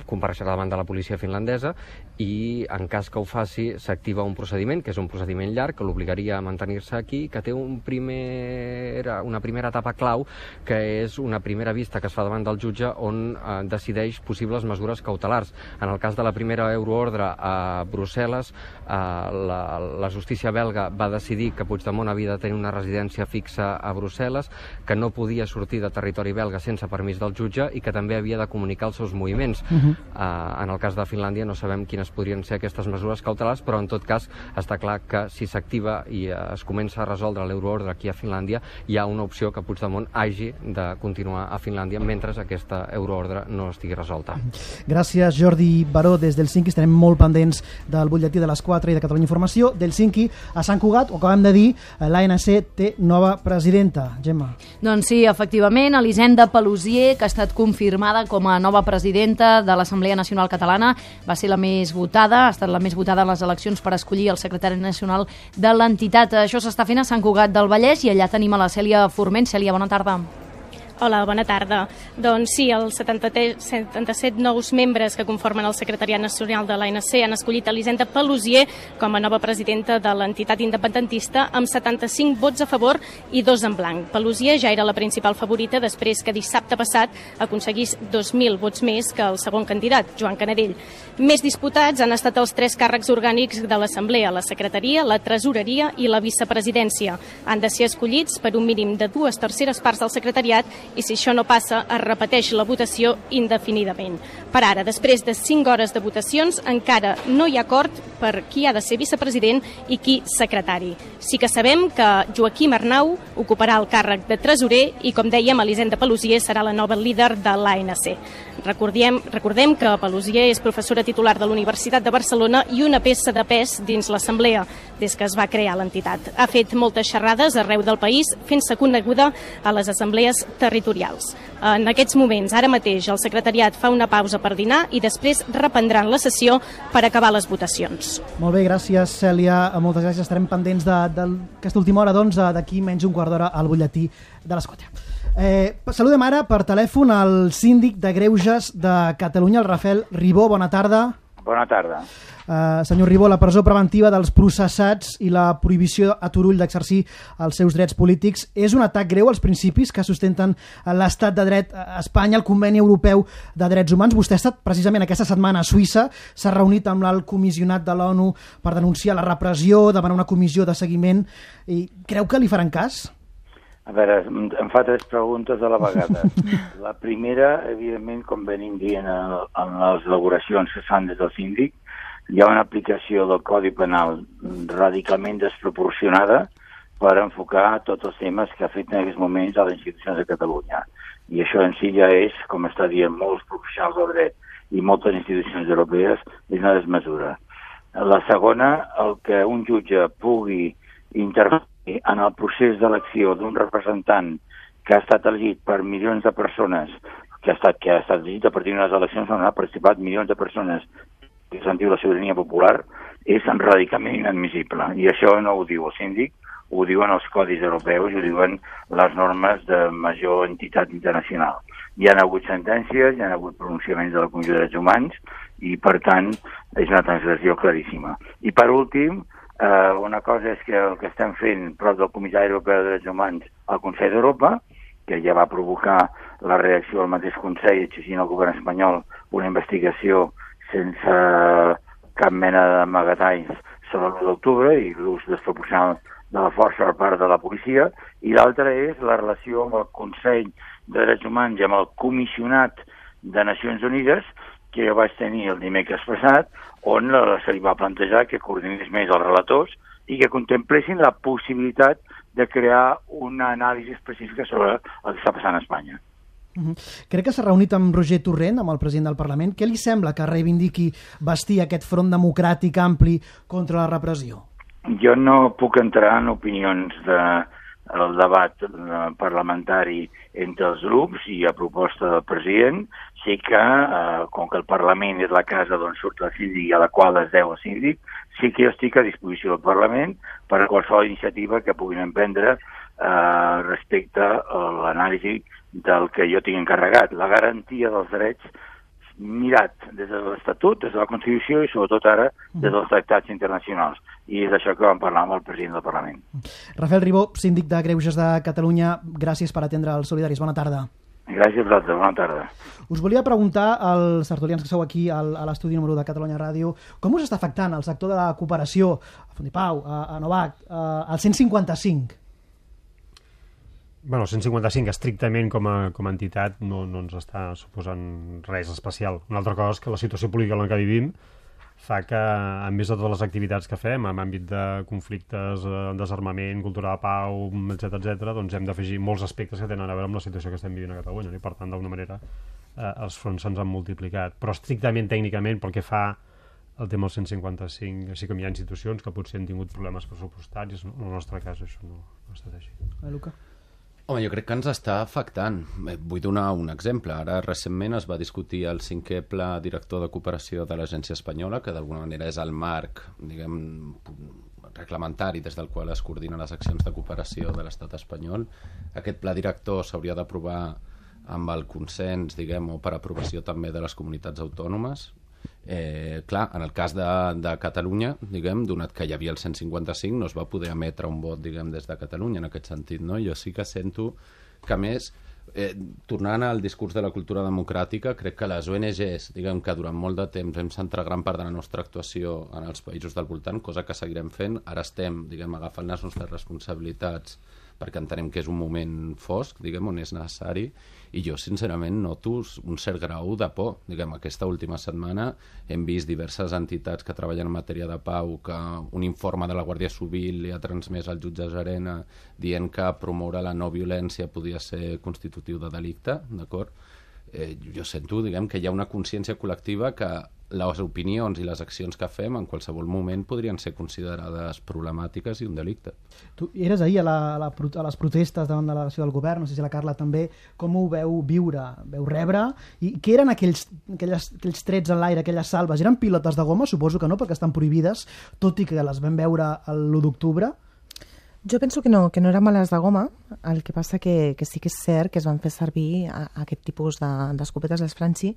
Speaker 19: compareixerà davant de la policia finlandesa, i en cas que ho faci s'activa un procediment, que és un procediment llarg, que l'obligaria a mantenir-se aquí, que té un primer, una primera etapa clau, que és una primera vista que es fa davant del jutge on eh, decideix possibles mesures cautelars. En el cas de la primera euroordre a Brussel·les, eh, la, la justícia belga va decidir que Puigdemont havia de tenir una residència fixa a Brussel·les, que no podia sortir de territori belga sense permís del jutge i que també havia havia de comunicar els seus moviments.
Speaker 2: Uh-huh.
Speaker 19: Uh, en el cas de Finlàndia no sabem quines podrien ser aquestes mesures cautelars, però en tot cas està clar que si s'activa i uh, es comença a resoldre l'euroordre aquí a Finlàndia, hi ha una opció que Puigdemont hagi de continuar a Finlàndia mentre aquesta euroordre no estigui resolta.
Speaker 2: Gràcies, Jordi Baró, des d'Helsinki. Estarem molt pendents del butlletí de les quatre i de Catalunya Informació. D'Helsinki a Sant Cugat, ho acabem de dir, l'A N C té nova presidenta. Gemma.
Speaker 18: Doncs sí, efectivament, Elisenda Paluzie, que ha estat confirmada com a nova presidenta de l'Assemblea Nacional Catalana, va ser la més votada, ha estat la més votada en les eleccions per escollir el secretari nacional de l'entitat. Això s'està fent a Sant Cugat del Vallès i allà tenim a la Cèlia Forment. Cèlia, bona tarda.
Speaker 20: Hola, bona tarda. Doncs sí, els setanta-set nous membres que conformen el Secretariat Nacional de l'A N C han escollit Elisenda Paluzie com a nova presidenta de l'entitat independentista amb setanta-cinc vots a favor i dos en blanc. Paluzie ja era la principal favorita després que dissabte passat aconseguís dos mil vots més que el segon candidat, Joan Canadell. Més disputats han estat els tres càrrecs orgànics de l'Assemblea, la secretaria, la tresoreria i la vicepresidència. Han de ser escollits per un mínim de dues terceres parts del secretariat i si això no passa, es repeteix la votació indefinidament. Per ara, després de cinc hores de votacions, encara no hi ha acord per qui ha de ser vicepresident i qui secretari. Sí que sabem que Joaquim Arnau ocuparà el càrrec de tresorer i, com dèiem, Elisenda Paluzie serà la nova líder de l'A N C. Recordem, recordem que Paluzie és professora titular de la Universitat de Barcelona i una peça de pes dins l'Assemblea des que es va crear l'entitat. Ha fet moltes xerrades arreu del país, fent-se coneguda a les assemblees territorials. En aquests moments, ara mateix, el secretariat fa una pausa per dinar i després reprendran la sessió per acabar les votacions.
Speaker 2: Molt bé, gràcies, Cèlia. Moltes gràcies. Estarem pendents d'aquesta última hora, doncs, d'aquí menys un quart d'hora al butlletí de les quatre. Eh, saludem ara per telèfon al síndic de Greuges de Catalunya, el Rafael Ribó. Bona tarda.
Speaker 21: Bona tarda.
Speaker 2: Uh, senyor Ribó, la presó preventiva dels processats i la prohibició a Turull d'exercir els seus drets polítics és un atac greu als principis que sustenten l'estat de dret a Espanya, el Conveni Europeu de Drets Humans. Vostè ha estat precisament aquesta setmana a Suïssa, s'ha reunit amb l'alt comissionat de l'ONU per denunciar la repressió, demanar una comissió de seguiment. I creu que li faran cas?
Speaker 21: A veure, em fa tres preguntes a la vegada. La primera, evidentment, com venim dient en, en les elaboracions que fan des del síndic, hi ha una aplicació del Codi Penal radicalment desproporcionada per enfocar tots els temes que afecten en aquests moments a les institucions de Catalunya. I això en si ja és, com està dient molts professionals del dret i moltes institucions europees, és una desmesura. La segona, el que un jutge pugui intervenir en el procés d'elecció d'un representant que ha estat elegit per milions de persones, que ha estat, que ha estat elegit a partir d'unes eleccions on ha participat milions de persones que se'n diu la sobirania popular, és radicalment inadmissible. I això no ho diu el síndic, ho diuen els codis europeus, ho diuen les normes de major entitat internacional. Hi ha hagut sentències, hi ha hagut pronunciaments de la Comissió de Drets Humans i, per tant, és una transgressió claríssima. I, per últim, eh, una cosa és que el que estem fent prop del Comissari Europeu de Drets Humans al Consell d'Europa, que ja va provocar la reacció al mateix Consell, exigint al govern espanyol una investigació sense cap mena d'amagatalls sobre l'u d'octubre i l'ús desproporcional de la força per part de la policia, i l'altra és la relació amb el Consell de Drets Humans i amb el Comissionat de Nacions Unides, que jo vaig tenir el dimecres passat, on se li va plantejar que coordinés més els relators i que contemplessin la possibilitat de crear una anàlisi específica sobre el que està passant a Espanya.
Speaker 2: Uh-huh. Crec que s'ha reunit amb Roger Torrent, amb el president del Parlament. Què li sembla que reivindiqui bastir aquest front democràtic ampli contra la repressió?
Speaker 21: Jo no puc entrar en opinions del debat parlamentari entre els grups i a proposta del president. Sí que, eh, com que el Parlament és la casa d'on surt el síndic i a la qual es deu el síndic, sí que jo estic a disposició del Parlament per a qualsevol iniciativa que puguin emprendre eh, respecte a l'anàlisi del que jo tinc encarregat, la garantia dels drets mirat des de l'Estatut, des de la Constitució i sobretot ara des dels tractats internacionals. I és això que vam parlar amb el president del Parlament.
Speaker 2: Rafael Ribó, síndic de Greuges de Catalunya, gràcies per atendre els solidaris. Bona tarda.
Speaker 21: Gràcies a vosaltres, bona tarda.
Speaker 2: Us volia preguntar als tertulians que sou aquí al, a l'estudi número u de Catalunya Ràdio, com us està afectant el sector de la cooperació a Font i Pau, a, a Novac, a, al cent cinquanta-cinc?
Speaker 4: Bueno, el cent cinquanta-cinc estrictament com a, com a entitat no, no ens està suposant res especial. Una altra cosa és que la situació política en la que vivim fa que, a més de totes les activitats que fem, en àmbit de conflictes, eh, desarmament, cultura de pau, etcètera, etcètera, doncs hem d'afegir molts aspectes que tenen a veure amb la situació que estem vivint a Catalunya, no? I per tant, d'alguna manera, eh, els fronts se'ns han multiplicat. Però estrictament, tècnicament, pel que fa al tema del cent cinquanta-cinc, així com hi ha institucions que potser han tingut problemes pressupostaris, no? En el nostre cas això no, no ha estat així.
Speaker 2: Eh, Luca?
Speaker 14: Home, jo crec que ens està afectant. Vull donar un exemple. Ara, recentment, es va discutir el cinquè pla director de cooperació de l'Agència Espanyola, que d'alguna manera és el marc, diguem, reglamentari des del qual es coordinen les accions de cooperació de l'estat espanyol. Aquest pla director s'hauria d'aprovar amb el consens, diguem, o per aprovació també de les comunitats autònomes. Eh, clar, en el cas de, de Catalunya, diguem, donat que hi havia el cent cinquanta-cinc, no es va poder emetre un vot, diguem, des de Catalunya en aquest sentit, no? Jo sí que sento que, a més, eh, tornant al discurs de la cultura democràtica, crec que les O N Ges, diguem, que durant molt de temps hem centrat gran part de la nostra actuació en els països del voltant, cosa que seguirem fent, ara estem, diguem, agafant les nostres responsabilitats perquè entenem que és un moment fosc, diguem, on és necessari, i jo, sincerament, noto un cert grau de por. Diguem, aquesta última setmana hem vist diverses entitats que treballen en matèria de pau, que un informe de la Guàrdia Civil li ha transmès al jutge Llarena dient que promoure la no violència podia ser constitutiu de delicte, d'acord? Eh, jo sento, diguem, que hi ha una consciència col·lectiva que les opinions i les accions que fem en qualsevol moment podrien ser considerades problemàtiques i un delicte.
Speaker 2: Tu eres ahir a, la, a, la, a les protestes davant de la delegació del govern, no sé si la Carla també, com ho veu viure, veu rebre, i què eren aquells, aquelles, aquells trets en l'aire, aquelles salves? Eren pilotes de goma? Suposo que no, perquè estan prohibides, tot i que les vam veure l'u d'octubre.
Speaker 5: Jo penso que no, que no eren bales de goma, el que passa que, que sí que és cert que es van fer servir a, a aquest tipus d'escopetes, de, les Franchi,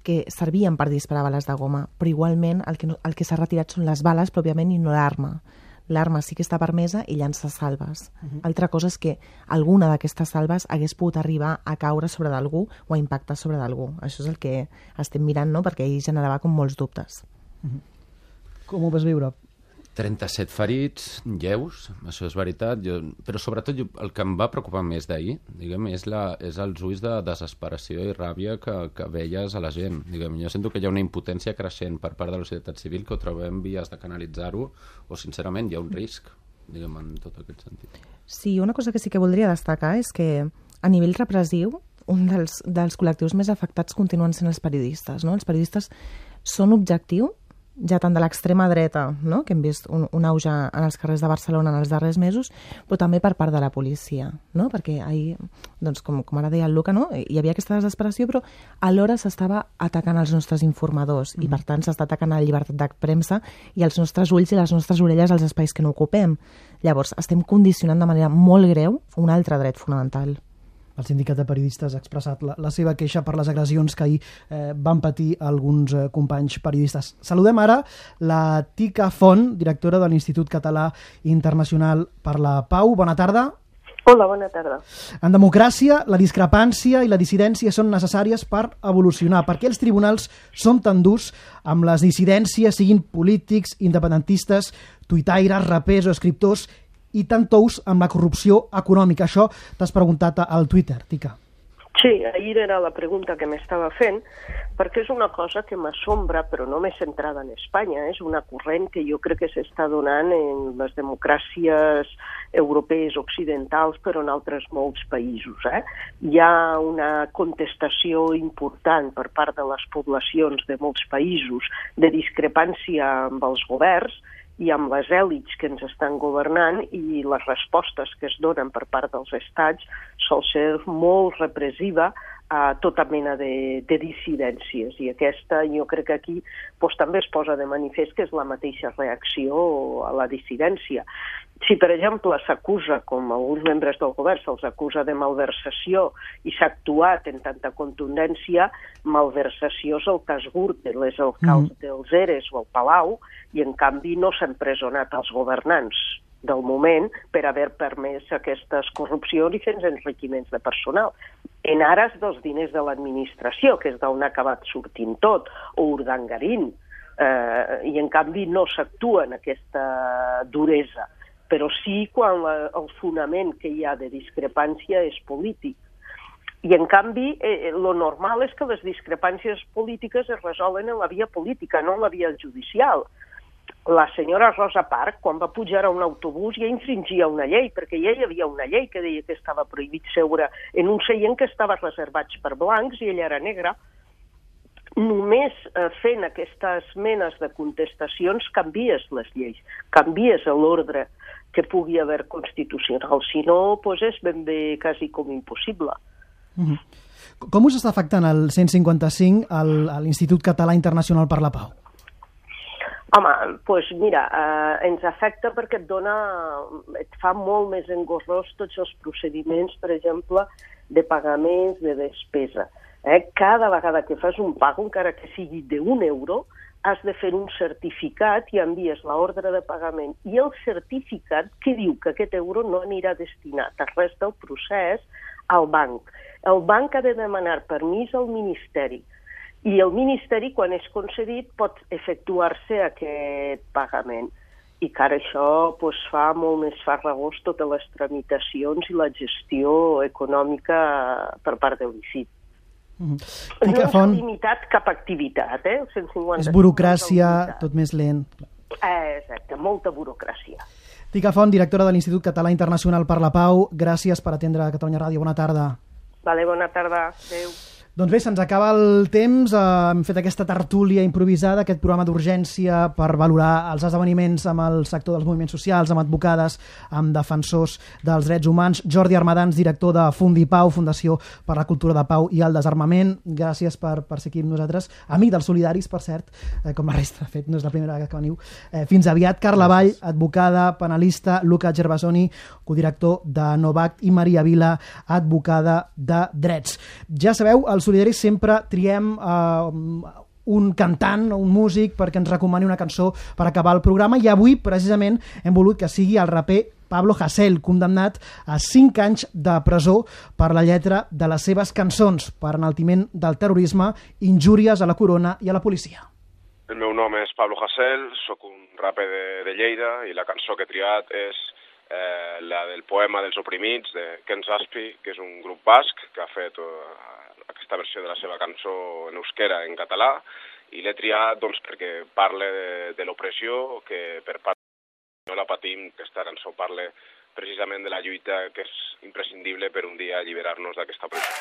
Speaker 5: que servien per disparar bales de goma, però igualment el que, no, el que s'ha retirat són les bales pròpiament i no l'arma. L'arma sí que està permesa i llança salves. Uh-huh. Altra cosa és que alguna d'aquestes salves hagués pogut arribar a caure sobre d'algú o a impactar sobre d'algú. Això és el que estem mirant, no?, perquè ell generava com molts dubtes.
Speaker 2: Uh-huh. Com ho vas viure?
Speaker 14: trenta-set ferits, lleus, això és veritat, jo, però sobretot jo, el que em va preocupar més d'ahir, diguem, és, la, és els ulls de desesperació i ràbia que, que veies a la gent. Diguem, jo sento que hi ha una impotència creixent per part de la societat civil, que ho trobem vies de canalitzar-ho, o sincerament hi ha un risc, diguem, en tot aquest sentit.
Speaker 5: Sí, una cosa que sí que voldria destacar és que a nivell repressiu, un dels, dels col·lectius més afectats continuen sent els periodistes, no? Els periodistes són objectiu ja tant de l'extrema dreta, no?, que hem vist un, un auge en els carrers de Barcelona en els darrers mesos, però també per part de la policia, no?, perquè ahir, doncs, com, com ara deia el Luca, no?, hi havia aquesta desesperació, però alhora s'estava atacant els nostres informadors mm. i, per tant, s'està atacant la llibertat de premsa i els nostres ulls i les nostres orelles als espais que no ocupem. Llavors, estem condicionant de manera molt greu un altre dret fonamental.
Speaker 2: El sindicat de periodistes ha expressat la, la seva queixa per les agressions que ahir eh, van patir alguns eh, companys periodistes. Saludem ara la Tica Font, directora de l'Institut Català Internacional per la Pau. Bona tarda.
Speaker 3: Hola, bona tarda.
Speaker 2: En democràcia, la discrepància i la dissidència són necessàries per evolucionar. Per què els tribunals són tan durs amb les dissidències, siguin polítics, independentistes, tuitaires, rapers o escriptors, i tant tous amb la corrupció econòmica? Això t'has preguntat al Twitter, Tica.
Speaker 3: Sí, ahir era la pregunta que m'estava fent, perquè és una cosa que m'assombra, però no m'he centrada en Espanya. És una corrent que jo crec que s'està donant en les democràcies europees occidentals, però en altres molts països. Eh? Hi ha una contestació important per part de les poblacions de molts països de discrepància amb els governs i amb les èlits que ens estan governant, i les respostes que es donen per part dels estats sol ser molt repressiva a tota mena de, de dissidències. I aquesta, jo crec que aquí doncs, també es posa de manifest que és la mateixa reacció a la dissidència. Si, per exemple, s'acusa, com alguns membres del govern se'ls acusa de malversació i s'ha actuat en tanta contundència, malversació és el cas Gürtel, és el cas mm. dels Eres o el Palau, i en canvi no s'han presonat els governants del moment per haver permès aquestes corrupcions i fent enriquiments de personal. En ares dels diners de l'administració, que és d'on ha acabat sortint tot, o Urdangarín, eh, i en canvi no s'actua en aquesta duresa. però sí quan la, el fonament que hi ha de discrepància és polític. I, en canvi, eh, lo normal és que les discrepàncies polítiques es resolen en la via política, no en la via judicial. La senyora Rosa Parks, quan va pujar a un autobús, ja infringia una llei, perquè ja hi havia una llei que deia que estava prohibit seure en un seient que estava reservat per blancs i ella era negra. Només eh, fent aquestes menes de contestacions canvies les lleis, canvies l'ordre que pugui haver constitucional. Si no, doncs és ben bé quasi com impossible.
Speaker 2: Mm-hmm. Com us està afectant el cent cinquanta-cinc a l'Institut Català Internacional per la Pau?
Speaker 3: Home, doncs mira, eh, ens afecta perquè et dona, et fa molt més engorrós tots els procediments, per exemple, de pagaments, de despesa. Eh? Cada vegada que fas un pago, encara que sigui d'un euro, has de fer un certificat i envies l'ordre de pagament. I el certificat que diu que aquest euro no anirà destinat a res del procés al banc. El banc ha de demanar permís al Ministeri i el Ministeri, quan és concedit, pot efectuar-se aquest pagament. I que ara això doncs, fa molt més farragós totes les tramitacions i la gestió econòmica per part de l'I C I T. Mm-hmm. No s'ha limitat cap activitat, eh? El cent cinquanta-cinc
Speaker 2: és burocràcia, tot més lent.
Speaker 3: Eh, exacte, molta burocràcia.
Speaker 2: Tica Font, directora de l'Institut Català Internacional per la Pau, gràcies per atendre Catalunya Ràdio. Bona tarda.
Speaker 3: Vale, bona tarda. Adéu.
Speaker 2: Doncs bé, se'ns acaba el temps, eh, hem fet aquesta tertúlia improvisada, aquest programa d'urgència per valorar els esdeveniments amb el sector dels moviments socials, amb advocades, amb defensors dels drets humans. Jordi Armadans, director de Fundipau, Fundació per la Cultura de Pau i el Desarmament, gràcies per, per ser aquí amb nosaltres. Amic dels Solidaris, per cert, eh, com la resta, de fet, no és la primera vegada que veniu. Eh, fins aviat. Carla Vall, advocada, penalista, Luca Gervasoni, codirector de Novact, i Maria Vila, advocada de Drets. Ja sabeu, els Solidaris sempre triem eh, un cantant o un músic perquè ens recomani una cançó per acabar el programa, i avui precisament hem volut que sigui el raper Pablo Hasél, condemnat a cinc anys de presó per la lletra de les seves cançons per enaltiment del terrorisme, injúries a la corona i a la policia.
Speaker 6: El meu nom és Pablo Hasél, sóc un raper de, de Lleida i la cançó que he triat és eh, la del poema dels oprimits de Ken Zazpi, que és un grup basc que ha fet eh, aquesta versió de la seva cançó en euskera, en català, i l'he triat doncs, perquè parla de, de l'opressió que per part no la patim, que aquesta cançó parla precisament de la lluita que és imprescindible per un dia alliberar-nos d'aquesta presó.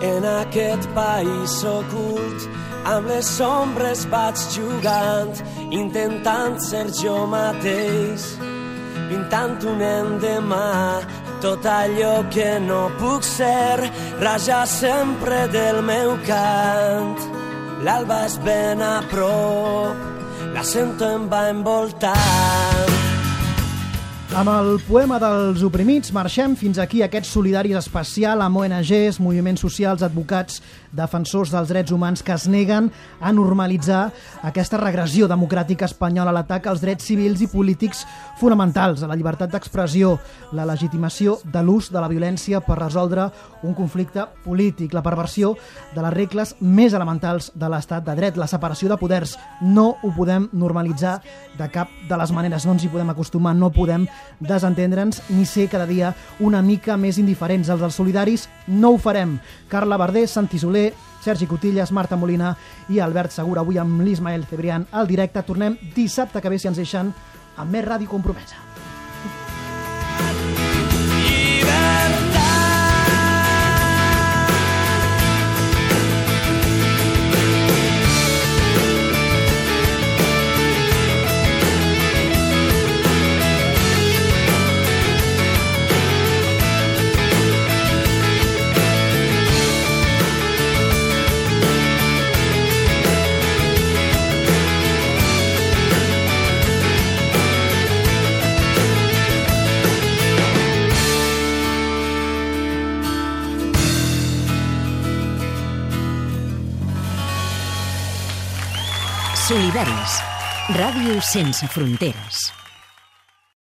Speaker 22: En aquest país ocult, amb les ombres vaig jugant, intentant ser jo mateix, pintant un endemà, tot allò que no puc ser, raja sempre del meu cant. L'alba és ben a prop, la sento em va envoltant.
Speaker 2: Amb el poema dels oprimits marxem fins aquí aquest Solidaris especial amb O N Ges, moviments socials, advocats, defensors dels drets humans que es neguen a normalitzar aquesta regressió democràtica espanyola, l'atac als drets civils i polítics fonamentals, a la llibertat d'expressió, la legitimació de l'ús de la violència per resoldre un conflicte polític, la perversió de les regles més elementals de l'estat de dret, la separació de poders. No ho podem normalitzar de cap de les maneres, no ens hi podem acostumar, no podem desentendre'ns ni ser cada dia una mica més indiferents. Els dels Solidaris no ho farem. Carla Verder, Santi Soler, Sergi Cotillas, Marta Molina i Albert Segura. Avui amb l'Ismael Cebrián al directe. Tornem dissabte que ve, si ens deixen, amb més Ràdio Compromesa.
Speaker 1: Solidaris. Ràdio sense fronteres.